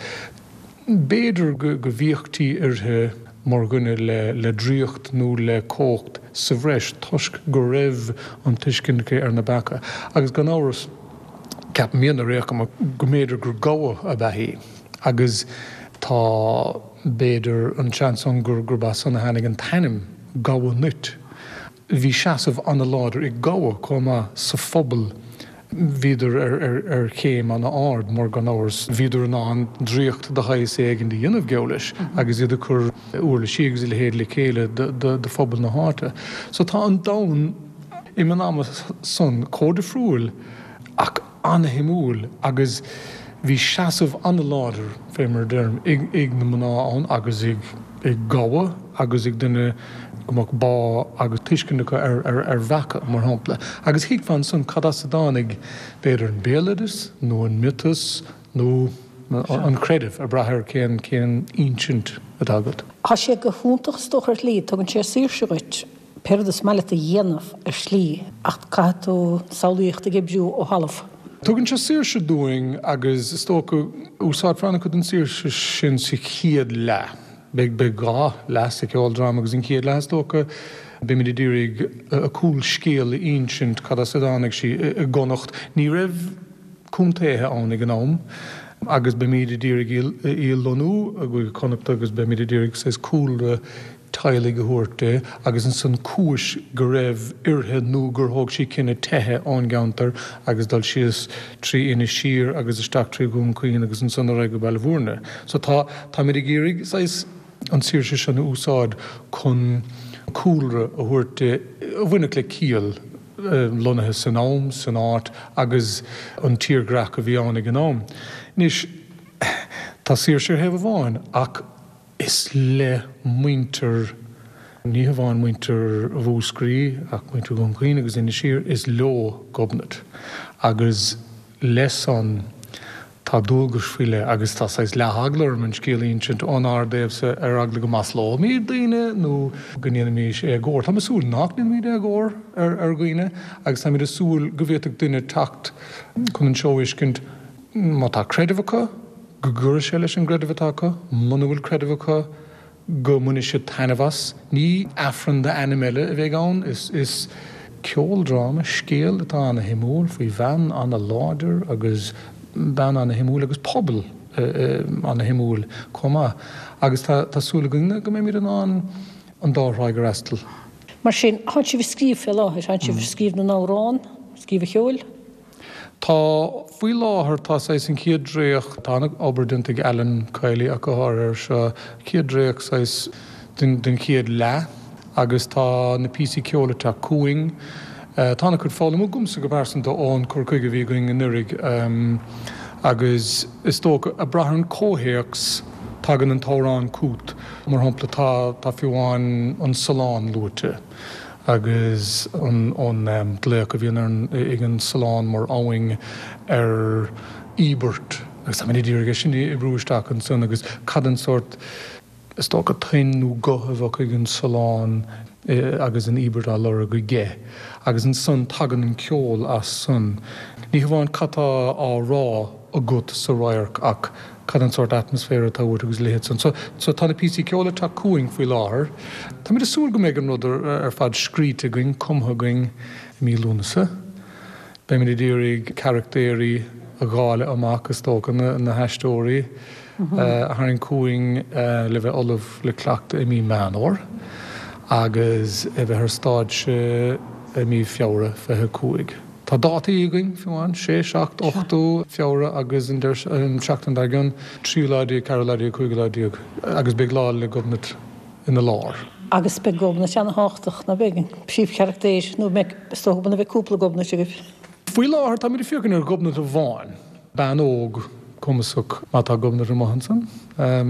B'fhéidir go bhféachtaí uirthi mar dhuine le draíocht nó le cumhacht sa bhreis toisc go raibh an tuiscint aici ar na beacha. Agus gan amhras, ceapaim ar aon chuma go mb'fhéidir gur gabha ab ea í. Agus tá, b'fhéidir, an seans ann gurb as san a tháinig an t-ainm, Gabha Nuit. Bhí seasamh an-láidir ag gabha chomh maith sa phobal. Bhíodar ar chéim an-ard mar gan amhras bhíodar in ann draíocht de shaghas éigin a dhéanamh, geall leis, agus iad ag cur uirlisí agus a leithéid le chéile do phobal na háite. So tá an domhan im an ama san chomh difriúil ach an-shuimiúil agus bhí seasamh an-láidir, fé mar a deirim, ag na mná ann agus ag gabha agus ag duine go mbeadh bá agus tuiscint acu ar bheacha, mar shampla. Agus thuigfeá ansan cad as a dtáinig, b'fhéidir, an béaloideas nó an miotas nó an creideamh, ag brath ar cén cén insint atá agat. Tá sé go hiontach is dócha ar shlí, tugann sé saoirse dhuit pé rud is maith leat a dhéanamh ar shlí ach caithfidh tú samhlaíocht ag oibriú ó thalamh. Tugann sé saoirse dúinn agus is dócha úsáidfear an-chuid den saoirse sin sa chéad leath. Beidh beidh dhá leath sa cheoldráma agus an chéad leath is dócha beimid ag iarraidh a cúlscéal a insint, cad as a dtáinig sí i gConnacht. Ní raibh contaetha ann ag an am agus beimid ag iarraidh í a lonnú i gCúige Chonnacht agus beimid ag iarraidh saghas cúlra teaghlaigh a thabhairt di agus ansan cúis go raibh uirthi nó gur thóg sí cinneadh teitheadh ón gceantar agus dul síos trí Inis Oírr agus isteach trí Dhún Chaoin agus ansan ar aghaidh go Baile Bhúirne. So tá, táimid ag iarraidh saghas an tsaoirse sin a úsáid chun cúlra a thabhairt di a bhainfeadh le ciall, lonnaithe san am, san áit agus an tírdhreach a bhí ann ag an am. Anois, tá saoirse ar thaobh amháin ach Is le muintir, ní hamháin muintir Mhúscraí ach muintir Dhún Chaoin agus Inis Oírr, is leo Gobnait agus leis san tá dualgais faoi leith agus tá saghas leath-eagla orm an scéal a insint ónár dtaobhsa ar eagla go maslóimid daoine nó go ndéanfaimís éagóir. Táim ag súil nach ndéanfaimid éagóir ar dhaoine agus táimid ag súil go bhféadfadh duine teacht chun an seó a fheiscint má tá creideamh acu, go gcuirfidh sé leis an gcreideamh atá acu, muna bhfuil creideamh acu, go mbainfidh siad taitneamh as. Ní Aifreann d'ainm eile a bheidh ann, is ceoldráma, scéal atá ana-shuimiúil faoi bhean ana-láidir agus bean ana-shuimiúil agus pobal ana-shuimiúil chomh maith. Agus tá súil againn go mbeimid in ann an dá thráigh a fhreastal. Mar sin, tánn sibh ag scríobh fé láthair, tánn sibh ag scríobh na n-amhrán, scríobh an cheoil? Tá faoi láthair tá saghas an chéad dréacht tá an-obair déanta ag Alan Kiely ach go háirithe air seo, chéad dréacht saghas den den chéad leath agus tá na píosaí ceoil ag teacht chugainn. Tá an-chuid foghlamtha agamsa go pearsanta ón cur chuige a bhí againn anuraidh agus is dócha ag brath ar an comhthéacs tagann an t-amhrán chugat. Mar shampla tá tá fiú amháin an Sullán luaite agus an an glaoch a bhíonn ar an ag an Sullán mar abhainn ar íobairt agus táimid ag iarraidh é sin a oibriú isteach ansan agus cad an sórt is dócha tuin nó guth a bheadh ag an Sullán agus an íobairt á lorg aige agus ansan tagann an ceol as san. Ní hamháin cad tá á rá agat sa radharc ach cad an sórt atmaisféar atá uait agus a leithéid san. So, so tá na píosaí ceoil ag teacht chugainn faoi láthair. Táimid ag súil go mbeidh an rud ar fad scríte againn, cumtha againn i mí Lúnasa. Beimid ag iarraidh carachtéirí a dháileadh amach, is dócha, na haisteoirí a tharraingt chugainn le bheith ullamh le cleachtadh i mí Meán Fhómhair agus a bheith ar stáitse i mí Feabhra fiche a cúig. Tá dátaí againn, fiú amháin, sé, seacht, ochtú Feabhra agus an tseachtain dár gcionn, tríú lá déag, ceathrú lá déag, cúigiú lá déag agus beidh Lá 'le Gobnait ina lár. Agus beidh Gobnait ana-thábhachtach, ná beidh? An príomhcharachtar, nó beidh, is dócha go mbeidh cúpla Gobnait agaibh. Faoi láthair táimid ag féachaint ar Ghobnait amháin, bean óg cumasach má tá Gobnait amuigh ansan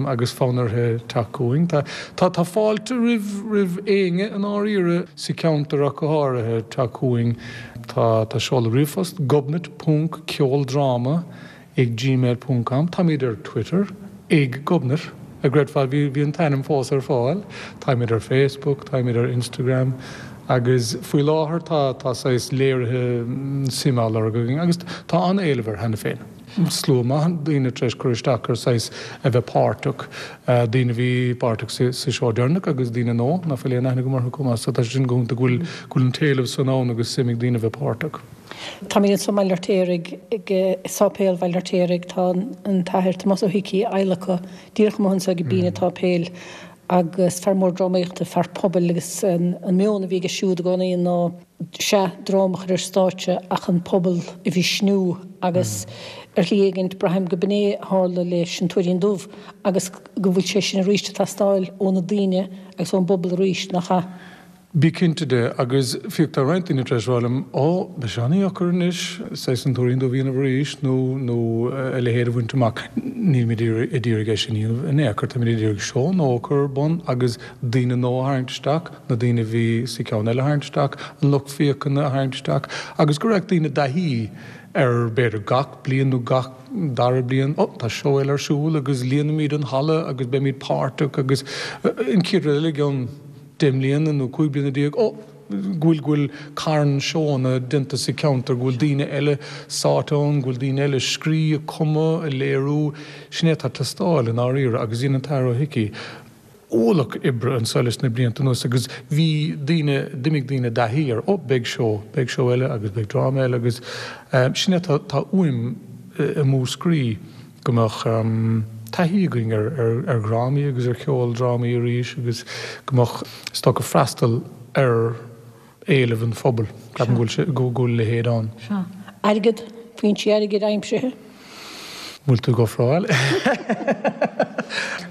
agus fonn uirthi teacht chugainn. Tá tá fáilte roimh roimh éinne i ndáiríre sa cheantar ach go háirithe teacht chugainn. Tá tá seoladh ríomhphost gobnait ponc ceoldráma ag gmail ponc com. Táimid ar Twitter ag Gobnait, a gcreidfeá, bhí bhí an t-ainm fós ar fáil. Táimid ar Facebook, táimid ar Instagram agus faoi láthair tá tá saghas léirithe suime á lorg againn agus tá an-éileamh air cheana féin. Slua maith daoine tar éis cur isteach ar saghas a bheith páirteach, daoine a bhí páirteach sa sa seó deireanach agus daoine nua nach bhfuil aon aithne agam orthu chomh maith. So tá sé sin go hiontach go bhfuil go bhfuil an t-éileamh san ann agus suim ag daoine a bheith páirteach. Táimid anso i mBaile Fheirtéaraigh, ag Sáipéal Bhaile Fheirtéaraigh. Tá an tAthair Tomás Ó hIcí adhlactha díreach amuigh anso ag binn an tsáipéil agus fear mór drámaíochta, fear pobail agus an meon a bhí aige siúd i gcónaí ná sea, dráma a chur ar stáitse ach an pobal a mhisniú agus ar shlí éigint braithim go b'in é a tharla leis an Tuairín Dubh agus go bhfuil sé sin arís ag teastáil ó na daoine agus ón bpobal arís, nach ea? Bí cinnte de, agus féach tá roinnt daoine tar éis rá liom, Ó, beidh sé an-dheacair anois saghas an Tuairín Dubh a dhéanamh arís nó nó a leithéid a bhaint amach. Nílimid ag iarraidh é sin a dhéanamh in aon chor, táimid ag iarraidh seó nua a chur ar bun agus daoine nua a tharraingt isteach, na daoine a bhí sa cheann eile a tharraingt isteach, an lucht féachana a tharraingt isteach agus go raibh daoine i dtaithí ar b'fhéidir gach bliain nó gach dara bliain, Ó, tá seó eile ar siúl agus líonfaimid an halla agus beimid páirteach agus an chéad rud eile i gceann deich mbliana nó cúig bliana déag, ó, go bhfuil, go bhfuil carn seónna déanta sa cheantar, go bhfuil daoine eile sáite ann, go bhfuil daoine eile ag scríobh, ag cumadh, ag léiriú. Sin é atá ag teastáil i ndáiríre agus dhein an tAthair Ó hIcí ualach oibre anso leis na blianta anuas agus bhí daoine, d'imigh daoine i dtaithí ar, ó, beidh seó, beidh seó eile agus beidh dráma eile agus sin é atá, tá uaim i Múscraí. go mbeadh taithí againn ar dhrámaí agus ar cheoldrámaí arís agus go mbeadh, is dócha, freastal ar éileamh an phobail. Ceapaim go bhfuil, go bhfuil a leithéid ann. Sea. Airgead, foinsí airgid aimsithe? Bhfuil tú ag ofráil?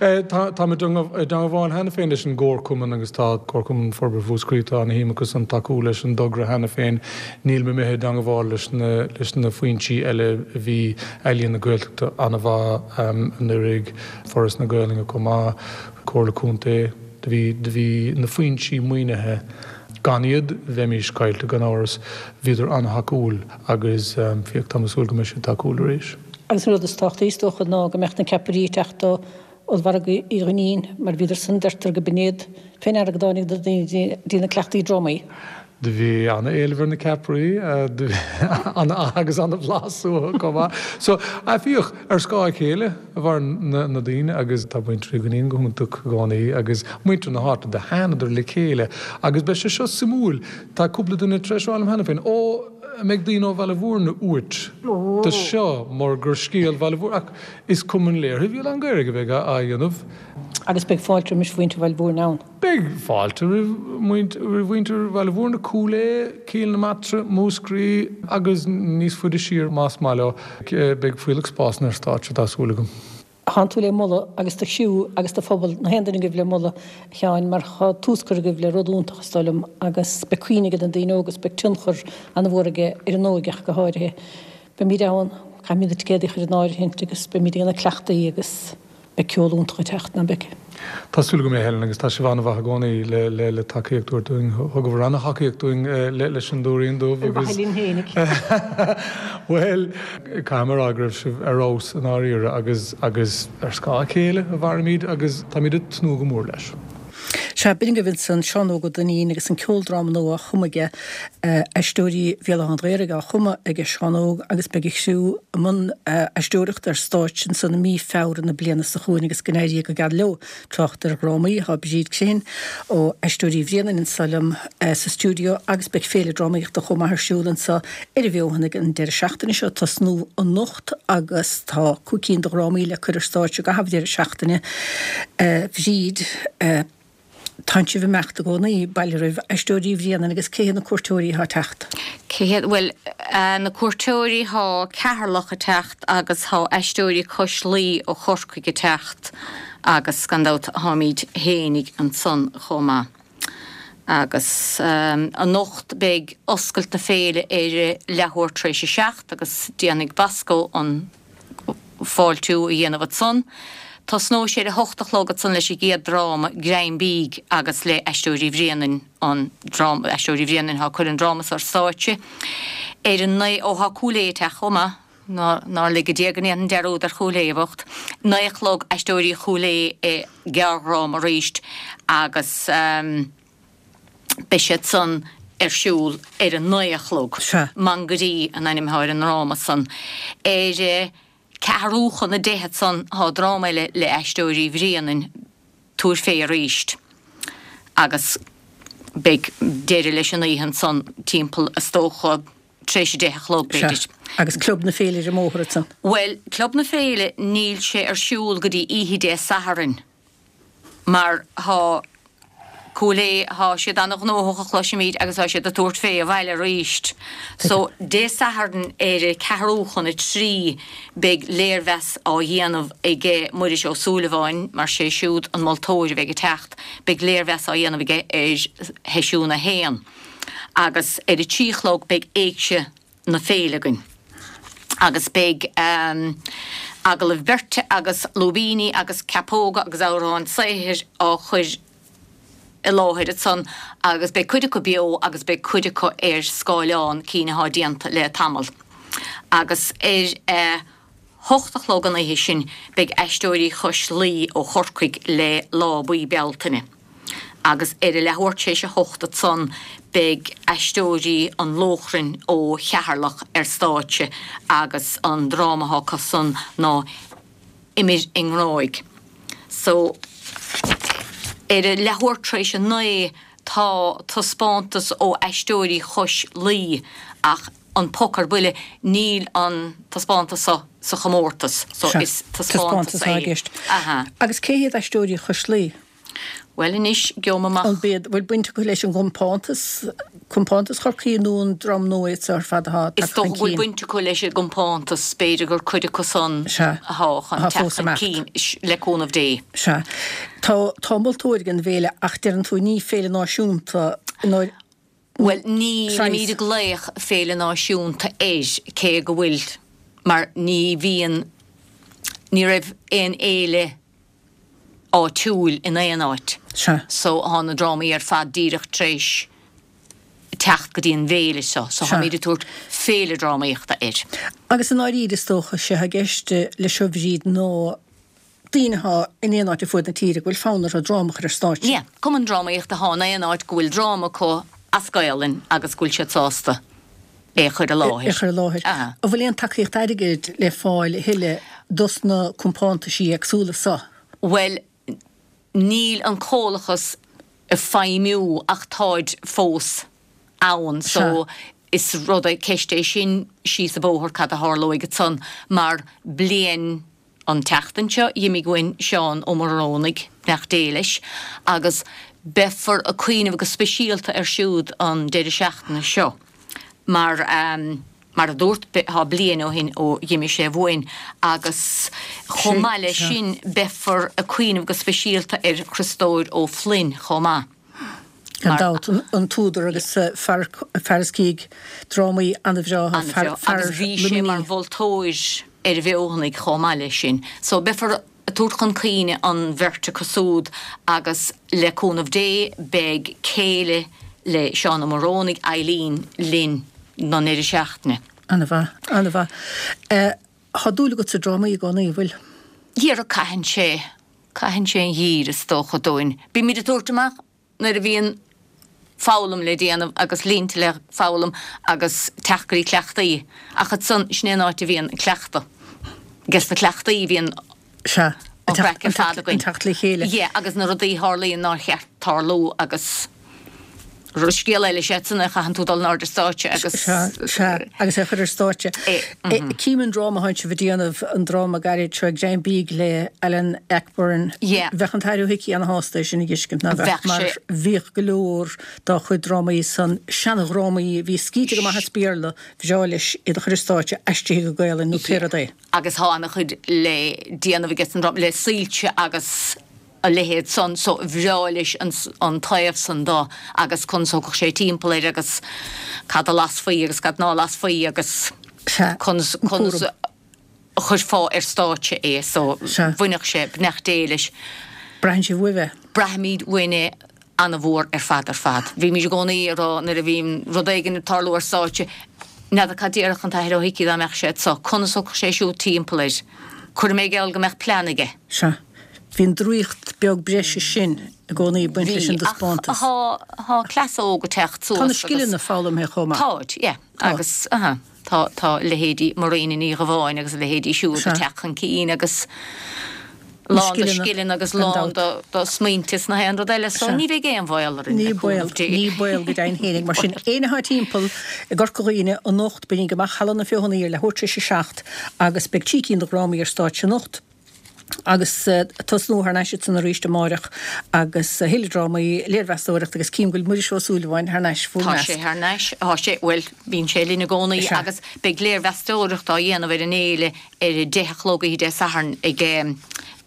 Táimid i dteangmháil cheana féin leis an gComharchumann agus tá Comharchumann Forbartha Mhúscraí, tá ana-shuim acu san tacú leis an dtogra cheana féin. Nílim imithe i dteangmháil leis na leis na foinsí eile, bhí Ealaíon na Gaeltachta an-mhaith anuraidh, Foras na Gaelainne chomh maith, Comhairle Contae, do bhí do bhí na foinsí maoinithe, gan iad bheimís caillte gan amhras, bhíodar an-thacúil agus féach táim ag súil go mbeidh siad tacúil arís. Agus an rud is tábhachtaí is dócha ná go mbeadh na ceapairí ag teacht ó Ollmhargadh Uí Dhuinnín mar bhíodar san, deirtear go b'in iad fé ndeara go dtáinig na daoine dtí na cleachtaí drámaí. Do bhí ana-éileamh ar na ceapairí agus ana-bhlas uathu chomh maith. So, féach, ar scáth a chéile a mhaireann na daoine agus tá muintir Uí Dhuinnín go hiontach i gcónaí agus muintir na háite, do thánadar le chéile agus beidh sé seo suimiúil. Tá cúpla duine tar éis rá liom cheana féin, Ó, an mbeidh daoine ó Bhaile Bhúirne uait do seo mar gur scéal Bhaile Bhúirne ach is Cumann Léirithe Bhéal Átha an Ghaorthaidh a bheidh á dhéanamh. Agus beidh fáilte roimis mhuintir Bhaile Mhúirne ann. Beidh fáilte roimh mhuintir Bhaile Mhúirne, Cúil Aodha, Cill na Martra, Múscraí agus níos faide siar más maith leo. Beidh fuílleach spásanna ar stáitse, tá súil agam. Tánn tú le moladh agus do chriú agus do phobal, na haon duine agaibh le moladh, a Sheáin, mar tá tús curtha agaibh le rud iontach, is dóigh liom, agus beidh cuimhne ag na daoine óga agus beidh tionchar an-mhór aige ar an óige ach go háirithe. Beimid ann, caithfimid na ticéadaí a chur in áirithint agus beimid ag déanamh cleachtaí agus beidh ceol iontach ag teacht, ná beidh? Tá súil agam é, Helen, agus tá sibh an-mhaith i gcónaí le le le tacaíocht a thabhairt dúinn. Thugabhair an-thacaíocht dúinn leis an Dúirín Dubh agus. Ar mhaithe linn fhéinig. Bhuel, caithfidh mé a rá go raibh sibh ar fheabhas i ndáiríre agus agus ar scáth a chéile a mhairimid agus táimid ag tnúth go mór leis. Sea, b'in agaibh ansan Seán Óg Ó Duinnín agus an ceoldráma nua á chumadh aige, Aisteoirí Bhéal Átha an Ghaorthaidh á chumadh aige Seán Óg agus beidh a chriú i mbun aisteoireachta ar stáitse ansan i mí Feabhra na bliana seo chugainn agus go n-éirí go geal leo. Trácht ar dhrámaí, tá Bríd Crehan ó Aisteoirí Bhréanainn anso liom sa stiúideo agus beidh féile drámaíochta chomh maith ar siúl anso ar an bhFeothanaigh an deireadh seachtaine seo, tosnú anocht agus tá cúig cinn de dhrámaí le cur ar stáitse i gcaitheamh deireadh seachtaine. A Bhríd. Tánn sibh ag imeacht i gcónaí, bail oraibh, Aisteoirí Bhréanainn agus cé hiad na cuairteoirí atá ag teacht? Cé hiad, bhuel, na cuairteoirí, thá Ceatharlach ag teacht agus thá Aisteoirí Cois Laoi ó Chorcaigh ag teacht agus gan dabht tháimíd fhéinig ansan chomh maith. Agus anocht beidh oscailt na féile ar leathuair tar éis a seacht agus déanfaidh Bosco an fáiltiú a dhéanamh ansan. Tosnóidh sé ar a hocht a chlog ansan leis an gcéad dráma, Greim Bídh, agus le Aisteoirí Bhréanainn, an dráma, Aisteoirí Bhréanainn atá ag cur an dráma so ar stáitse. Ar a naoi, ó thá Cúil Aodha ag teacht chomh maith, ná, nár lige Dia go ndéanfainn dearúd ar Chúil Aodha bhocht. Naoi a chlog, Aisteoirí Chúil Aodha i gearrdhráma arís agus beidh siad san ar siúl ar a naoi a chlog. Sea. Mangairí an ainm atá ar an ndráma san. Ar a. Ceathrú chun a deich ansan thá dráma eile le Aisteoirí Bhréanainn, Tabhair Fé Arís, agus beidh deireadh leis an oíche ansan timpeall, is dócha, tar éis a deich a chlog, Sea. b'fhéidir. Agus Club na Féile ar an mbóthar ansan? Bhuel, Club na Féile, níl sé ar siúl go dtí oíche Dé Sathairn. Mar thá Cúil Aodha, thá siad ana-ghnóthach a chloisimíd agus thá siad ag tabhairt fé abhaile aríst. So, Dé Sathairn ar a ceathrú chun a trí beidh léirmheas á dhéanamh aige Muiris Ó Súilleabháin, mar sé siúd an moltóir a bheidh ag teacht, beidh léirmheas á dhéanamh aige ar sheisiún a haon. Agus ar a trí a chlog beidh Éigse na Féile againn agus beidh agallaimh beirte agus lúibíní agus ceapóga agus amhráin saothair á chur i láthair ansan agus beidh cuid acu beo agus beidh cuid acu ar scáileán, cinn athá déanta le tamall. Agus ar a hocht a chlog an oíche sin beidh Aisteoirí Chois Laoi ó Chorcaigh le Lá Buí Bealtaine. Agus ar a leathuair tar éis a hocht ansan beidh Aisteoirí an Lóchrainn ó Cheatharlach ar stáitse agus an dráma atá acu san ná Imir i nGráig. So, ar a leathuair tar éis a naoi tá taispeántas ó Aisteoirí Chois Laoi ach an poc ar buile, níl an taispeántas so sa chomórtas so Sea, is taispeántas taispeántas atá i é. gceist. Aha. Agus cé hiad Aisteoirí Chois Laoi? Bhuel anois, gheobhaidh mé amach. An b'iad, bhfuil baint acu leis an gcompántas, compántas Chorcaí nó an dream nua iad seo ar fad atá Is tagtha dócha chun go bhfuil cinn? baint acu leis an gcompántas, b'fhéidir gur cuid acu san Sea, athá chun atá teacht fós chun ag imeacht. cinn, le cúnamh Dé. Sea. Tá, tá moltóir ag an bhféile ach deireann tú ní féile náisiúnta nó Bhuel, ní saghas. nílimid ag glaoch féile náisiúnta air, cé go bhfuil, mar ní bhíonn, ní raibh aon fhéile áitiúil in aon áit. Sea. So thá na drámaí ar fad díreach tar éis teacht go dtí an bhféile seo. So Sea. tháimid ag tabhairt féile drámaíochta air. Agus i ndáiríre is dócha, sé atá i gceist leis seo a Bhríd ná daoine athá in aon áit ar fuaid na tíre go bhfuil fonn orthu dráma a chur ar stáitse. Yeah, cumann drámaíochta athá in aon áit go bhfuil dráma acu as Gaolainn agus go bhfuil siad sásta é a chur i É a láthair. chur i láthair. Aha. An bhfuil aon tacaíocht airgid le fáil a thuilleadh dos na compántaisí éagsúla so? Bhuel, níl an comhlachas ag feidhmiú ach táid fós ann so Sea. is rud é, ceist é sin síos an bóthar cad a tharlóidh ansan mar bliain an tseachtain seo d'imigh uainn Seán Ó Murrónaigh, Beannacht Dé leis, agus beifear ag cuimhneamh go speisialta air siúd an deireadh seachtaine seo mar mar a dúrt tá bliain ó shin ó dh'imigh sé uainn agus chomh maith leis sin beifear ag cuimhneamh go speisialta ar Chriostóir Ó Floinn chomh maith. Gan dabht, an t-údar agus fear a scrígh drámaí an-bhreátha, fear Agus bhí sé mar mholtóir ar an bhFeothanaigh chomh maith leis sin. So beifear ag tabhairt chun cuimhne an bheirt acu súd agus le cúnamh Dé beidh céile le Seán Ó Morónaigh, Eileen, linn don ndeireadh seachtaine. An-mhaith, an-mhaith. Tá dúil agat sa drámaí i gcónaí, an bhfuil? Dhera, caitheann sé, caitheann sé an gheimhreadh is dócha dúinn. Bímid ag tabhairt amach nuair a bhíonn foghlaim le déanamh agus línte le foghlaim agus teacht go dtí cleachtaí. Ach ansan, sin é an áit a bhíonn an cleachtadh. Ages na cleachtaí a bhíonn Sea, an craic ar fad againn. An teacht le chéile. Yeah, agus na rudaí a tharlaíonn nár cheart tarlú agus scéal eile is ea san a chaitheann tú dul in airde ar stáitse agus. Sea, sea, agus é a chur ar stáitse. Cím an dráma atánn sibh ag déanamh, an dráma gairid seo Ag Greim Bídh le Alan Ayckbourn. Yeah. Bheadh an tAthair Ó hIcí ana-shásta é sin a dh'fheiscint, ná beadh? Bheadh Mar sé. bhíodh go leor dá chuid drámaí san, seanadhrámaí a bhí scríte go maith as Béarla, bhreá leis iad a chur ar stáitse, aistrithe go Gaelainn nó pé rud é. Agus thá ana-chuid le déanamh aige san dráma, le soilse agus. a leithéid san so bhreá leis an taobh san do agus conas a thiocfadh sé timpeall air agus cad a lasfaí agus cad ná lasfaí agus conas conas a chuirfeá ar stáitse é so bhainfeadh sé beannacht Dé leis. Braitheann sibh uaibh é? Braithimid uainn é ana-mhór ar fad ar fad. Bhímid i gcónaí ag rá nuair a bhíonn rud éigin ag tarlú ar stáitse, n'fheadar cad déarfadh an tAthair Ó hIcí dá mbeadh sé anso, conas a thiocfadh sé siúd timpeall air. Cuirfidh mé geall go mbeadh plean aige. Sea. Bhí an draíocht beag breise sin i gcónaí ag baint leis an Bhí, ach dtaispeántas. thá, thá cleasa óg ag teacht Tá na suas agus. scileanna foghlamtha chomh maith. Táid, yeah. Tá. Agus, aha, tá, tá leithéidí Marina Ní Ghabháin agus a leithéidí siúd ag Sea. teacht chun cinn agus Na lán de scileanna, scileanna agus gan lán dabht. de, de smaointe is na haon rud eile, so Sea. ní bheidh aon bhaol orainn, Ní le baol, cúnamh Dé. ní baol go deimhin fhéinig. Mar sin, éinne atá timpeall i gCorca Dhuibhne anocht, bígí amach Halla na Feothanaí ar leathuair tar éis a seacht agus beidh trí cinn de dhrámaí ar stáitse anocht. Agus tosnú thar n-ais ansan arís amáireach agus a thuilleadh drámaí, léirmheastóireacht agus cím go bhfuil Muiris Ó Súilleabháin thar n-ais bhur Tá measc. sé thar n-ais, tá sé, bhuel, bíonn sé linn i gcónaí Sea. agus beidh léirmheastóireacht á dhéanamh ar an fhéile ar a deich a chlog oíche Dé Sathairn ag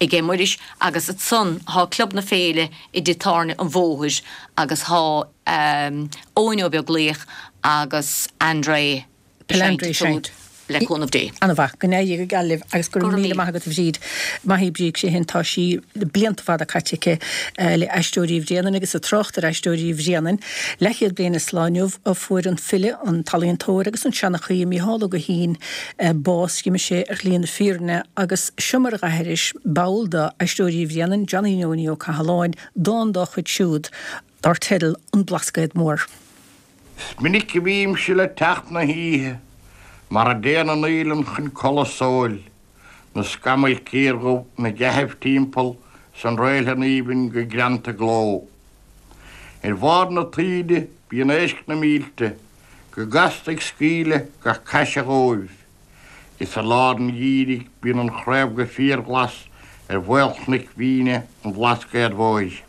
ag Muiris agus ansan tá Club na Féile i dTigh Tábhairne an Bhóthair agus tá Eoin Ó Beaglaoich agus André André Siúd le cúnamh Dé. Ana-mhaith. Go n-éirí go geal libh agus go Go raibh raibh míle míle. maith agat a Bhríd. Maith í Bríd sé shin tá sí blianta fada caite aici le Aisteoirí Bhréanainn agus ag trácht ar Aisteoirí Bhréanainn. Leathchéad bliain is lá inniu a fuair an file, an t-ealaíontóir agus an seanchaí Mícheál Ó Guithín bás. D'imigh sé ar shlí na fírinne agus seo mar a dh'aithris ball d'Aisteoirí Bhréanainn, Johnny Neoiní Ó Cathaláin, dán dá chuid siúd dar teideal An Blascaod Mór. Is minic a bhímse le teacht na hoíche, mar a dtéann an fhaoileann chun codladh sóil, na scamaill ciardhubh 'na gcaitheamh timpeall 's an réaltlann aoibhinn go greanta gleo. Ar bharr na taoide bíonn éisc na mílte go gasta ag scaoileadh gach caise dhóibh, is i lár an gheimhridh bíonn an chraobh go fíorghlas ar mhaolchnoic mhíne an Bhlascaoid Mhóir.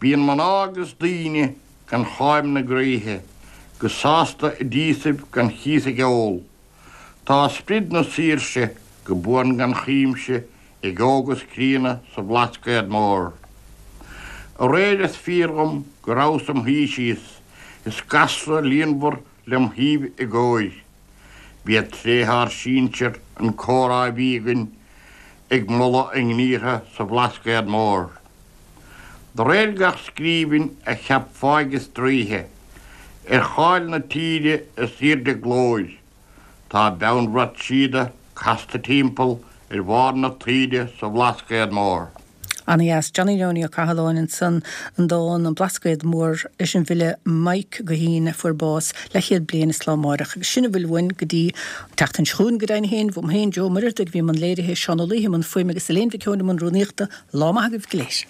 Bíonn mná agus daoine gan cháim 'na gcroíthe, go sásta i dtíosaibh gan chíos ag ól. Tá sprid na saoirse go buan gan chuimse ag óg is críonna sa Bhlascaod Mór. Aréir is fíor dhom go rabhas im shuí síos, is gasra líonmhar lem thaobh i gcóir. B'iad tréithe ár sinsear an comhrá a bhí againn ag moladh a ngníortha sa Bhlascaod Mór. De réir gach scríbhinn a cheap fáidh is draoithe, ar cháil na tíre is aoirde glóir, tá beannbhrat síoda casta timpeall ar bharr na taoide sa Bhlascaod Mór. Ana-dheas. Johnny Neoiní Ó Cathaláin ansan, an dán An Blascaod Mór leis an bhfile Mike Guithín a fuair bás leathchéad bliain is lá amárach. Agus sin a bhfuil uainn go dtí an tseachtain seo chugainn go deimhin féin, uaim féin, Joe Ó Muircheartaigh a bhí i mbun léirithe, Seán Ó Laoithe i mbun fuaime agus Elaine Mhic Eoin i mbun rúnaíochta. Lá maith agaibh go léir.